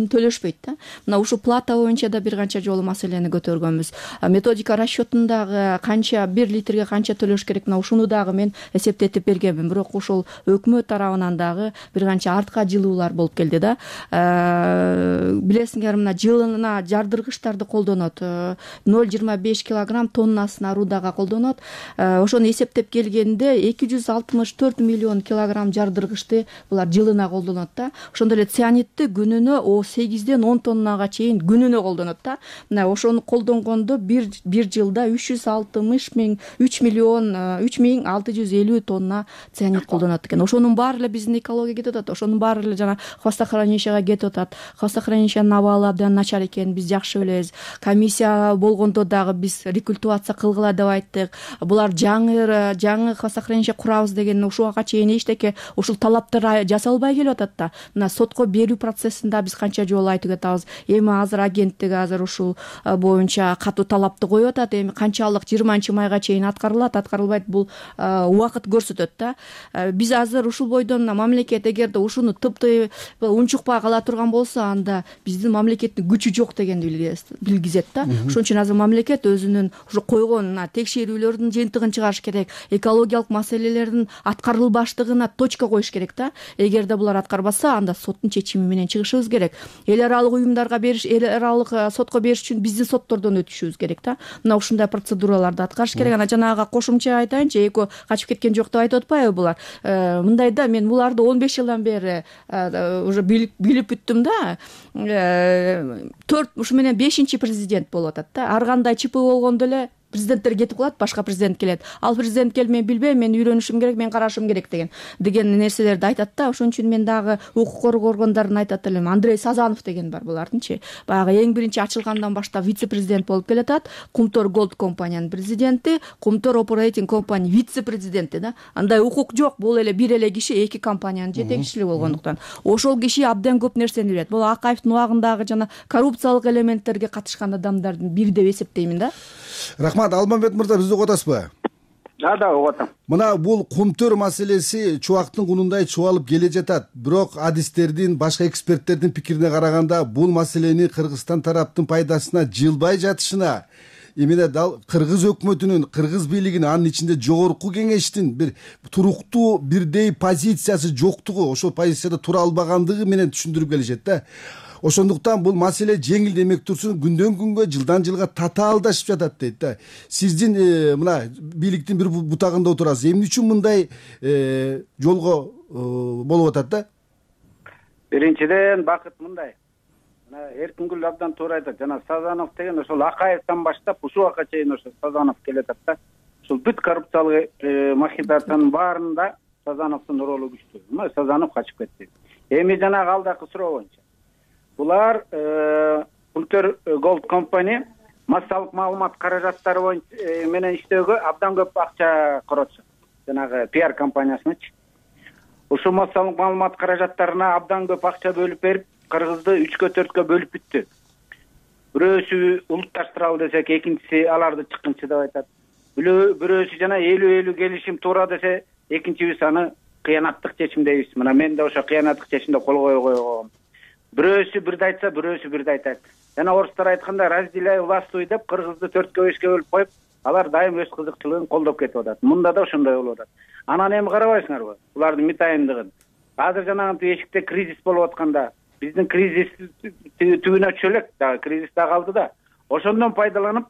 төлөшпөйт да. Мына ушул плата боюнча да бир канча жолу маселени көтөргөнбүз. Методика расчетундагы канча 1 литрге канча төлөш керек, мына ушуну дагы мен эсептетип бергенмин. Бирок ушул өкмөт тарабынан дагы бир канча артка жылуулар болуп келди да. Билесиңер, мына жылына жардыргычтарды колдонот. 0,25 килограмм тоннасына рудага колдонот. Ошону эсептеп келгенде 264 миллион килограмм жардыргычты булар жылына колдонот да. Ошондо эле цианидти күнүнө 8-ден 10 тоннага чейин күнүнө колдонот да. Мына ошону колдонгондо бир жылда 3,650 тонна цианид колдонот экен. Ошонун баары эле биздин экологияга кетип атат. Ошонун баары эле жана хвостохранилищеге кетип атат. Хвостохранилищенин абалы абдан начар экенин биз жакшы билебиз. Комиссия болгондо дагы биз рекультивация кылгыла деп айттык. Булар жаңы хвостохранилище курабыз деген ушуга чейин эчтеке ушул талаптар жасалбай келип атат да. Мына сотко берүү процессинде биз канча жолу айтып атабыз. Эми азыр агенттик ушул боюнча катуу талапты коюп атат. Эми канчалык 20-майга чейин аткарылат, аткарылбайт, бул убакыт көрсөтөт да. Биз азыр ушул бойдон мамлекет эгерде ушуну тыпты унчукпай кала турган болсо, анда биздин мамлекеттин күчү жок дегенди билгизет да. Ошон үчүн азыр мамлекет өзүнүн ушу койгон текшерүүлөрдүн жыйынтыгын чыгарыш керек. Экологиялык маселелердин аткарылбаштыгына точка коюш керек да. Эгерде булар аткарбаса, анда соттун чечими менен чыгышыбыз керек. Эл аралык уюмдарга бериш, эл аралык сотко бериш үчүн биздин соттордон өтүшүбүз керек да. Мына ушундай процедураларды аткарыш керек. Анан жанагы кошумча айтайынчы, эко качып кеткен жок деп айтып атпайбы булар. Мындай да, мен буларды 15 жылдан бери уже билип бүттүм да. 4 ушу менен 5-президент болуп атат да. Ар кандай ЧП болгондо эле президенттер кетип калат, башка президент келет. Ал президент келип мен билбейм, мен үйрөнүшүм керек, мен карашым керек деген нерселерди айтат да. Ошон үчүн мен дагы укук коргоо органдарын айтат элем. Андрей Сазанов деген бар булардынчы. Баягы эң биринчи ачылгандан баштап вице-президент болуп келатат. Кумтор Голд компаниянын президенти, Кумтор Operating Company вице-президенти да. Андай укук жок, бул эле бир эле киши эки компаниянын жетекчиси болгондуктан. Ошол киши абдан көп нерсени билет. Бул Акаевдин убагындагы жана коррупциялык элементтерге катышкан адамдардын бири деп эсептеймин да. Рахмат. Алмамбет мырза, бизди угуп атасызбы? Да, угуп атам. Мына бул кумтөр маселеси чубактын кунундай чубалып келе жатат. Бирок адистердин, башка эксперттердин пикирине караганда бул маселени Кыргызстан тараптын пайдасына жылбай жатышына эмне дал кыргыз өкмөтүнүн, кыргыз бийлигинин, анын ичинде жогорку кеңештин бир туруктуу бирдей позициясы жоктугу, ошол позицияда тура албагандыгы менен түшүндүрүп келишет да. Ошондуктан бул маселе жеңил демек турсун, күндөн күнгө, жылдан жылга татаалдашып жатат дейт да. Сиздин мына бийликтин бир бутагында отурасыз. Эмне үчүн мындай жолго болуп атат да? Биринчиден Бакыт мындай. Мына Эркингүл абдан туура айтат. Жана Сазанов деген ошол Акаевден баштап ушул убакка чейин ошо Сазанов келатат да. Ушул бүт коррупциялык махинациянын баарында Сазановдун ролу күчтүү. Сазанов качып кетти. Эми жанагы алдакы суроо боюнча булар Кумтор Голд компани массалык маалымат каражаттары боюнча менен иштөөгө абдан көп акча коротушат. Жанагы PR компаниясынычы. Ушул массалык маалымат каражаттарына абдан көп акча бөлүп берип, Кыргызды 3-кө 4-кө бөлүп бүттү. Бирөөсү улутташтыралы десек, экинчиси аларды чыккынчы деп айтат. Бирөөсү жана 50-50 келишим туура десе, экинчибиз аны кыянаттык чечим дейбиз. Мына мен да ошо кыянаттык чечимде кол койгом. Бирөөсү бирди айтса, бирөөсү бирди айтат. Жана орустар айтканда разделяй властвуй деп Кыргызды 4-кө 5-кө бөлүп коюп, алар дайым өз кызыкчылыгын колдоп кетип атат. Мында да ошондой болуп атат. Анан эми карабайсыңарбы? Булардын митайымдыгын. Азыр жанагы эшикте кризис болуп атканда, биздин кризис түбүнө чөлөк, дагы кризис да калды да. Ошондон пайдаланып,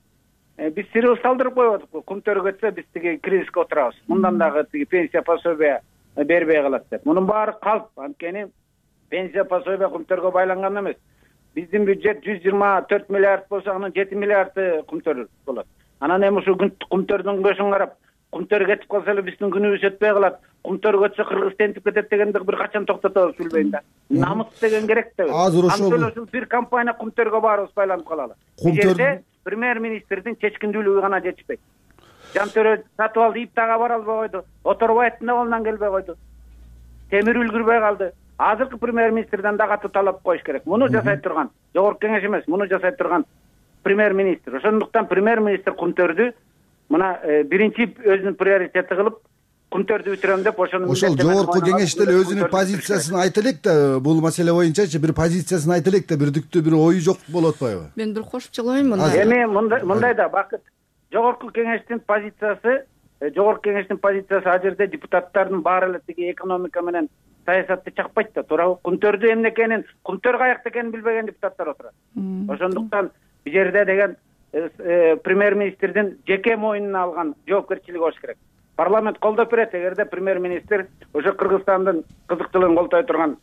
биз сирыл салдырып коюп атык. Кумтөр кетсе, биз тиги кризиске отурабыз. Мындан дагы тиги пенсия пособия бербей калат деп. Мунун баары калп, анткени пенсия пособия Кумтөргө байланган эмес. Биздин бюджет 124 миллиард болсо, анын 7 миллиарды Кумтөр болот. Анан эми ушу Кумтөрдүн көшүн карап, Кумтөр кетип калса эле биздин күнүбүз өтпөй калат. Кумтөр кетсе Кыргыз тентип кетет дегенди бир качан токтотобуз билбейм да. Намыс деген керек да. Азыр ошол бир компания Кумтөргө баарыбыз байланып калалы. Жерде премьер-министрдин чечкиндүүлүгү гана жетишпейт. Жантөрө сатып алды, Иптага бара албай койду. Оторбаевдин колунан келбей койду. Темир үлгүрбөй калды. Азыркы премьер-министрден да катуу талап коюш керек. Муну жасай турган жогорку кеңеш эмес, муну жасай турган премьер-министр. Ошондуктан премьер-министр Кумтөрдү мына биринчи өзүнүн приоритети кылып Кумтөрдү бүтүрөм деп ошону жогорку кеңеште эле өзүнүн позициясын айта элек да, бул маселе боюнчачы бир позициясын айта элек да, бирдиктүү бир ою жок болуп атпайбы? Мен бир кошумча коеюн мында. Эми мындай да Бакыт, жогорку кеңештин позициясы ал жерде депутаттардын баары эле тиги экономика менен саясатты чакпайт да, туурабы? Кумтөрдү эмне экенин, Кумтөр каякта экенин билбеген депутаттар отурат. Ошондуктан бул жерде деген премьер-министрдин жеке мойнуна алган жоопкерчилиги болуш керек. Парламент колдоп берет, эгерде премьер-министр ошо Кыргызстандын кызыкчылыгын колдой турган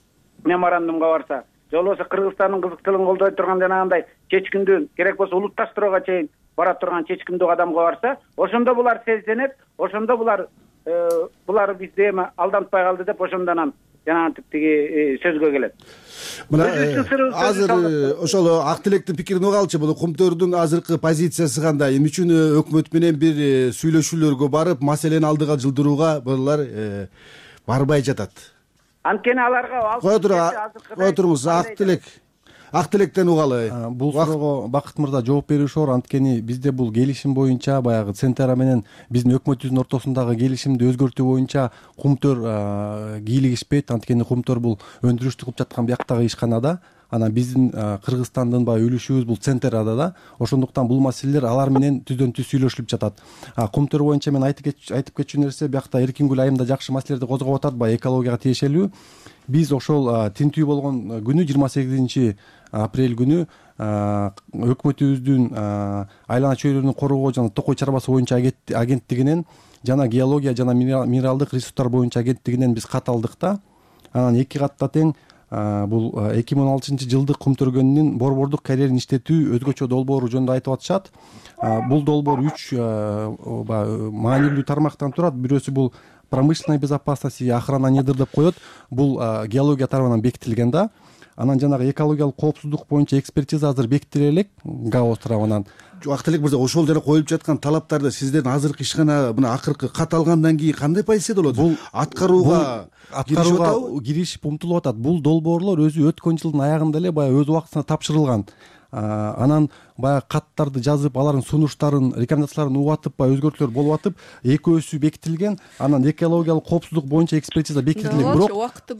меморандумга барса, же болбосо Кыргызстандын кызыкчылыгын колдой турган жанагындай чечкиндүү, керек болсо улутташтырууга чейин бара турган чечкиндүү кадамга барса, ошондо булар сезенет, ошондо булар бизди эми алдантпай калды деп ошондон жанагы тиги сөзгө келет. Мына азыр ошол Ак Тилектин пикирин угалчы, бул Кумтөрдүн азыркы позициясы кандай? Эмне үчүн өкмөт менен бир сүйлөшүүлөргө барып, маселени алдыга жылдырууга булар барбай жатат? Анткени аларга кой туруңуз, Ак Тилектен угалы. Бул суроого Бакыт мырза жооп бериши оор, анткени бизде бул келишим боюнча баягы Центра менен биздин өкмөтүбүздүн ортосундагы келишимди өзгөртүү боюнча Кумтөр кийлигишпейт, анткени Кумтөр бул өндүрүштү кылып жаткан бияктагы ишканада, анан биздин Кыргызстандын баягы үлүшүбүз бул Центрада да. Ошондуктан бул маселелер алар менен түздөн түз сүйлөшүлүп жатат. Кумтөр боюнча мен айтып кетчү нерсе, биякта Эркингүл айымда жакшы маселелерди козгоп атат, баягы экологияга тиешелүү. Биз ошол тинтүү болгон күнү 28 апрель күнү өкмөтүбүздүн айлана чөйрөнү коргоо жана токой чарбасы боюнча агенттигинен жана геология жана минералдык ресурстар боюнча агенттигинен биз кат алдык да. Анан 2 катта тең бул 2016-жылдык кумтөргөнүнүн борбордук карьерин иштетүү өзгөчө долбоору жөнүндө айтып атышат. Бул долбоор 3 маанилүү тармактан турат. Бирөөсү бул промышленная безопасность и охрана недр деп коет. Бул геология тарабынан бекитилген да. Анан жанагы экологиялык коопсуздук боюнча экспертиза азыр бекитиле элек ГАО тарабынан. Актылек мырза, ошол жана коюлуп жаткан талаптарды сиздердин азыркы ишкана мына акыркы кат алгандан кийин кандай позицияда болот? Бул аткарууга киришип умтулуп атат. Бул долбоорлор өзү өткөн жылдын аягында эле баягы өз убактысында тапшырылган. Анан баягы каттарды жазып, алардын сунуштарын, рекомендацияларын угатып, баягы өзгөртүүлөр болуп атып, экөөсү бекитилген. Анан экологиялык коопсуздук боюнча экспертиза бекитилген. Бирок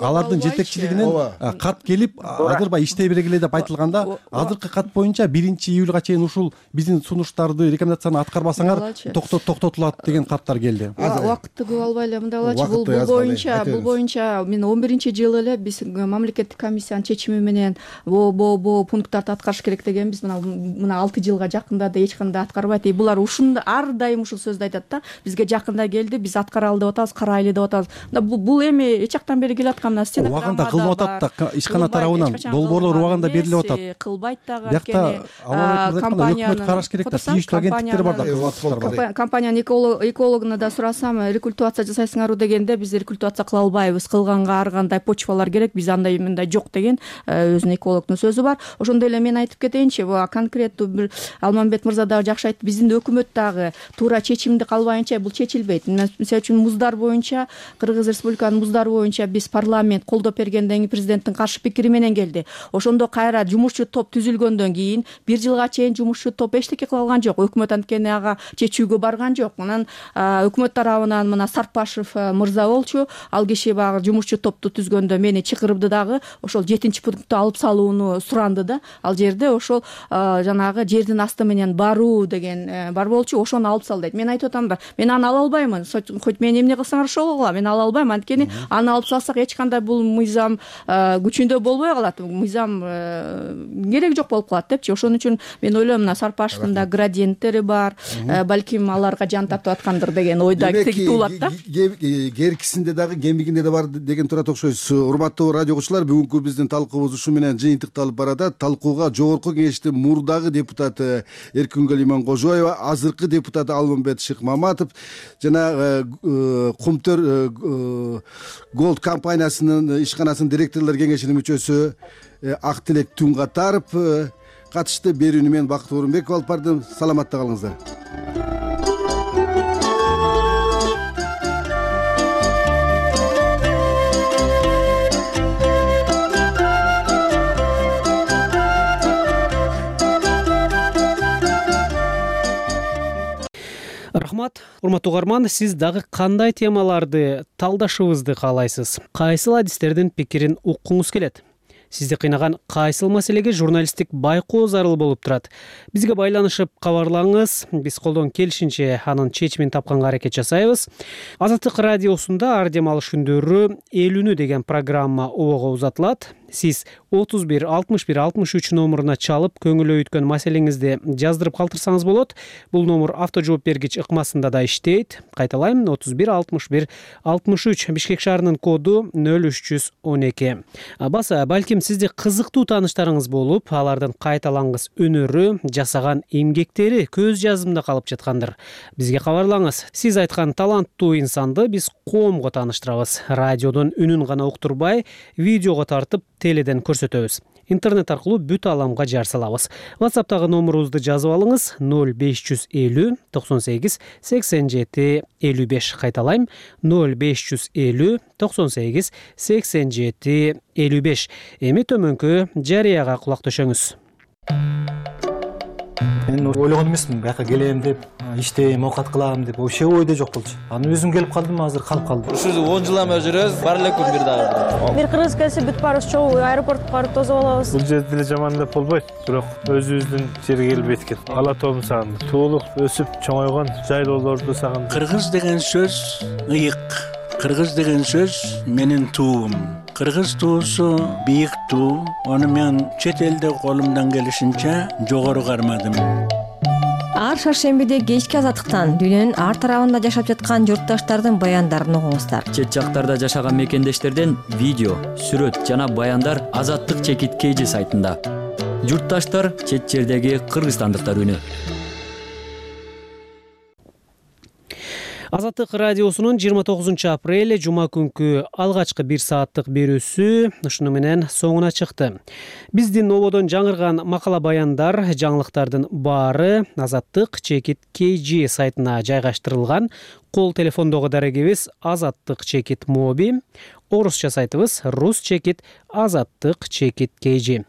алардын жетекчилигинен кат келип, азыр баягы иштей бергиле деп айтылганда, азыркы кат боюнча 1-июлга чейин ушул биздин сунуштарды, рекомендацияны аткарбасаңар токтотулат деген каттар келди. Убакытты көп албай эле мындай болчу. Бул боюнча мен 11-жылы эле биз мамлекеттик комиссиянын чечими менен бу пункттарды аткарыш керек дегенбиз. Мына 6 жылга жакында да эч кандай аткарбайт. Булар ушунда ар дайым ушул сөздү айтат да. Бизге жакында келди, биз аткаралы деп атабыз, карайлы деп атабыз. Бул эми эч жактан бери келип аткан нарсе. Убагында кылып атат да, ишкана тарабынан долбоорлор убагында берилип атат. Кылбайт дагы. Бияқта компания караш керек да, тийиштүү агенттиктер бар да. Компаниянын экологуна да сурасам, рекультивация жасайсыңарбы дегенде, биз рекультивация кыла албайбыз. Кылганга ар кандай почвалар керек, биз андай мындай жок деген өзүнүн экологдун сөзү бар. Ошондой эле мен айтып кетейинчи, конкреттүү бир Алмамбет мырза дагы жакшы айтты. Биздин өкмөт дагы туура чечимди калбайынча бул чечилбейт. Мисалы үчүн муздар боюнча, Кыргыз Республиканын муздары боюнча биз парламент колдоп бергенден кийин президенттин каршы пикири менен келди. Ошондо кайра жумушчу топ түзүлгөндөн кийин 1 жылга чейин жумушчу топ эчтеке кыла алган жок. Өкмөт анткени ага чечүүгө барган жок. Анан өкмөт тарабынан мына Сарпашев мырза болчу. Ал киши багы жумушчу топту түзгөндө мени чакырды дагы. Ошол 7-пунктту алып салууну суранды да. Ал жерде ошол жанагы жердин асты менен баруу деген бар болчу. Ошону алып сал дейт. Мен айтып атам да, мен аны ала албаймын. Хоть мен эмне кылсаңар ошол кылам. Мен ала албайм. Анткени аны алып салсак эч кандай бул мыйзам күчүндө болбой калат. Мыйзам кереги жок болуп калат депчи. Ошон үчүн мен ойлойм, мына Сарпашевдин да градиенттери бар. Балким аларга жан тартып аткандыр деген ойда туулат да. Керкисинде дагы кемигинде да бар деген турат окшойсуз. Урматтуу радио угуучулар, бүгүнкү биздин талкуубуз ушу менен жыйынтыкталып баратат. Талкууга жогорку кеңештин мурдагы депутаты Эркүнгүл Иманкожоева, азыркы депутат Алмамбет Шыкмаматов жана Кумтөр Голд компаниясынын ишканасынын директорлор кеңешинин мүчөсү Актилек Түнгатаров катышты. Берүүнү мен Бакыт Орунбеков алып бардым. Саламатта калыңыздар. Рахмат. Урматтуу угарман, сиз дагы кандай темаларды талдашыбызды каалайсыз? Кайсыл адистердин пикирин уккуңуз келет? Сизди кыйнаган кайсыл маселеге журналисттик байкоо зарыл болуп турат? Бизге байланышып кабарлаңыз. Биз колдон келишинче анын чечимин тапканга аракет жасайбыз. Азаттык радиосунда ар дем алыш күндөрү 50 деген программа обого узатылат. Сиз 31 61 63 номуруна чалып, көңүл өйткөн маселеңизди жаздырып калтырсаңыз болот. Бул номер авто жооп бергич ыкмасында да иштейт. Кайталайм, 31 61 63. Бишкек шаарынын коду 0312. Баса, балким сизде кызыктуу тааныштарыңыз болуп, алардын кайталангыс өнөрү, жасаган эмгектери көз жазымда калып жаткандыр. Бизге кабарлаңыз. Сиз айткан таланттуу инсанды биз коомго тааныштырабыз. Радиодон үнүн гана уктурбай, видеого тартып теледен көрсөтөбүз. Интернет аркылуу бүт аламга жар салабыз. WhatsApp'тагы номерубузду жазып алыңыз: 0550 98 87 55. Кайталайм: 0550 98 87 55. Эми төмөнкү жарыяга кулак төшөңүз. Мен ойлогон эмесмин, бияка келем деп, иштейм, оокат кылам деп, вообще ойдо жок болчу. Анан өзүм келип калдым, азыр калып калдым. Ушул 10 жылдан бери жүрөбүз, бар эле күн бир дагы. Бир кыргыз келсе бүт баарыбыз чогуу аэропортко барып тосуп алабыз. Бул жерде деле жаман деп болбойт, бирок өзүбүздүн жерге келбейт экен. Ала тоом сагындым. Туулуп, өсүп, чоңойгон жайлоолорду сагындым. Кыргыз деген сөз ыйык. Кыргыз деген сөз менин туум. Кыргыз туусу бийик туу. Ону мен чет элде колумдан келишинче жогору кармадым. ар шаршембиде кечки азаттыктан дүйнөнүн ар тарабында жашап жаткан журтташтардын баяндарын угуңуздар. Чет жактарда жашаган мекендештерден видео, сүрөт жана баяндар Азаттык чекит KG сайтында. Журтташтар чет жердеги кыргызстандыктар үнү. Азаттык радиосунун 29 апрель жума күнкү алгачкы 1 сааттык берүүсү ушуну менен соңуна чыкты. Биздин ободон жаңырган макала баяндар, жаңылыктардын баары Азаттык чекит KG сайтына жайгаштырылган. Кол телефондогу дарегибиз Азаттык чекит моби, орусча сайтыбыз Рус чекит Азаттык чекит KG.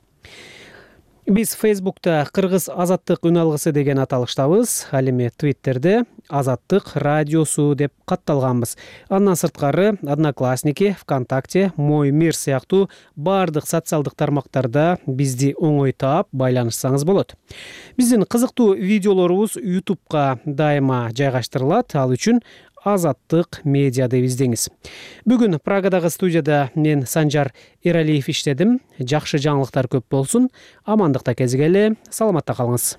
Биз Facebook'ta Кыргыз Азаттык үн алгысы деген аталыштабыз. Ал эми Twitter'де Азаттык радиосу деп катталганбыз. Андан сырткары Одноклассники, ВКонтакте, Мой мир сыяктуу бардык социалдык тармактарда бизди оңой таап байланышсаңыз болот. Биздин кызыктуу видеолорубуз YouTube'га дайыма жайгаштырылат. Ал үчүн Азаттык медиа деп издеңиз. Бүгүн Прагадагы студияда мен Санжар Эралиев иштедим. Жакшы жаңылыктар көп болсун. Амандыкта кезигели. Саламатта калыңыз.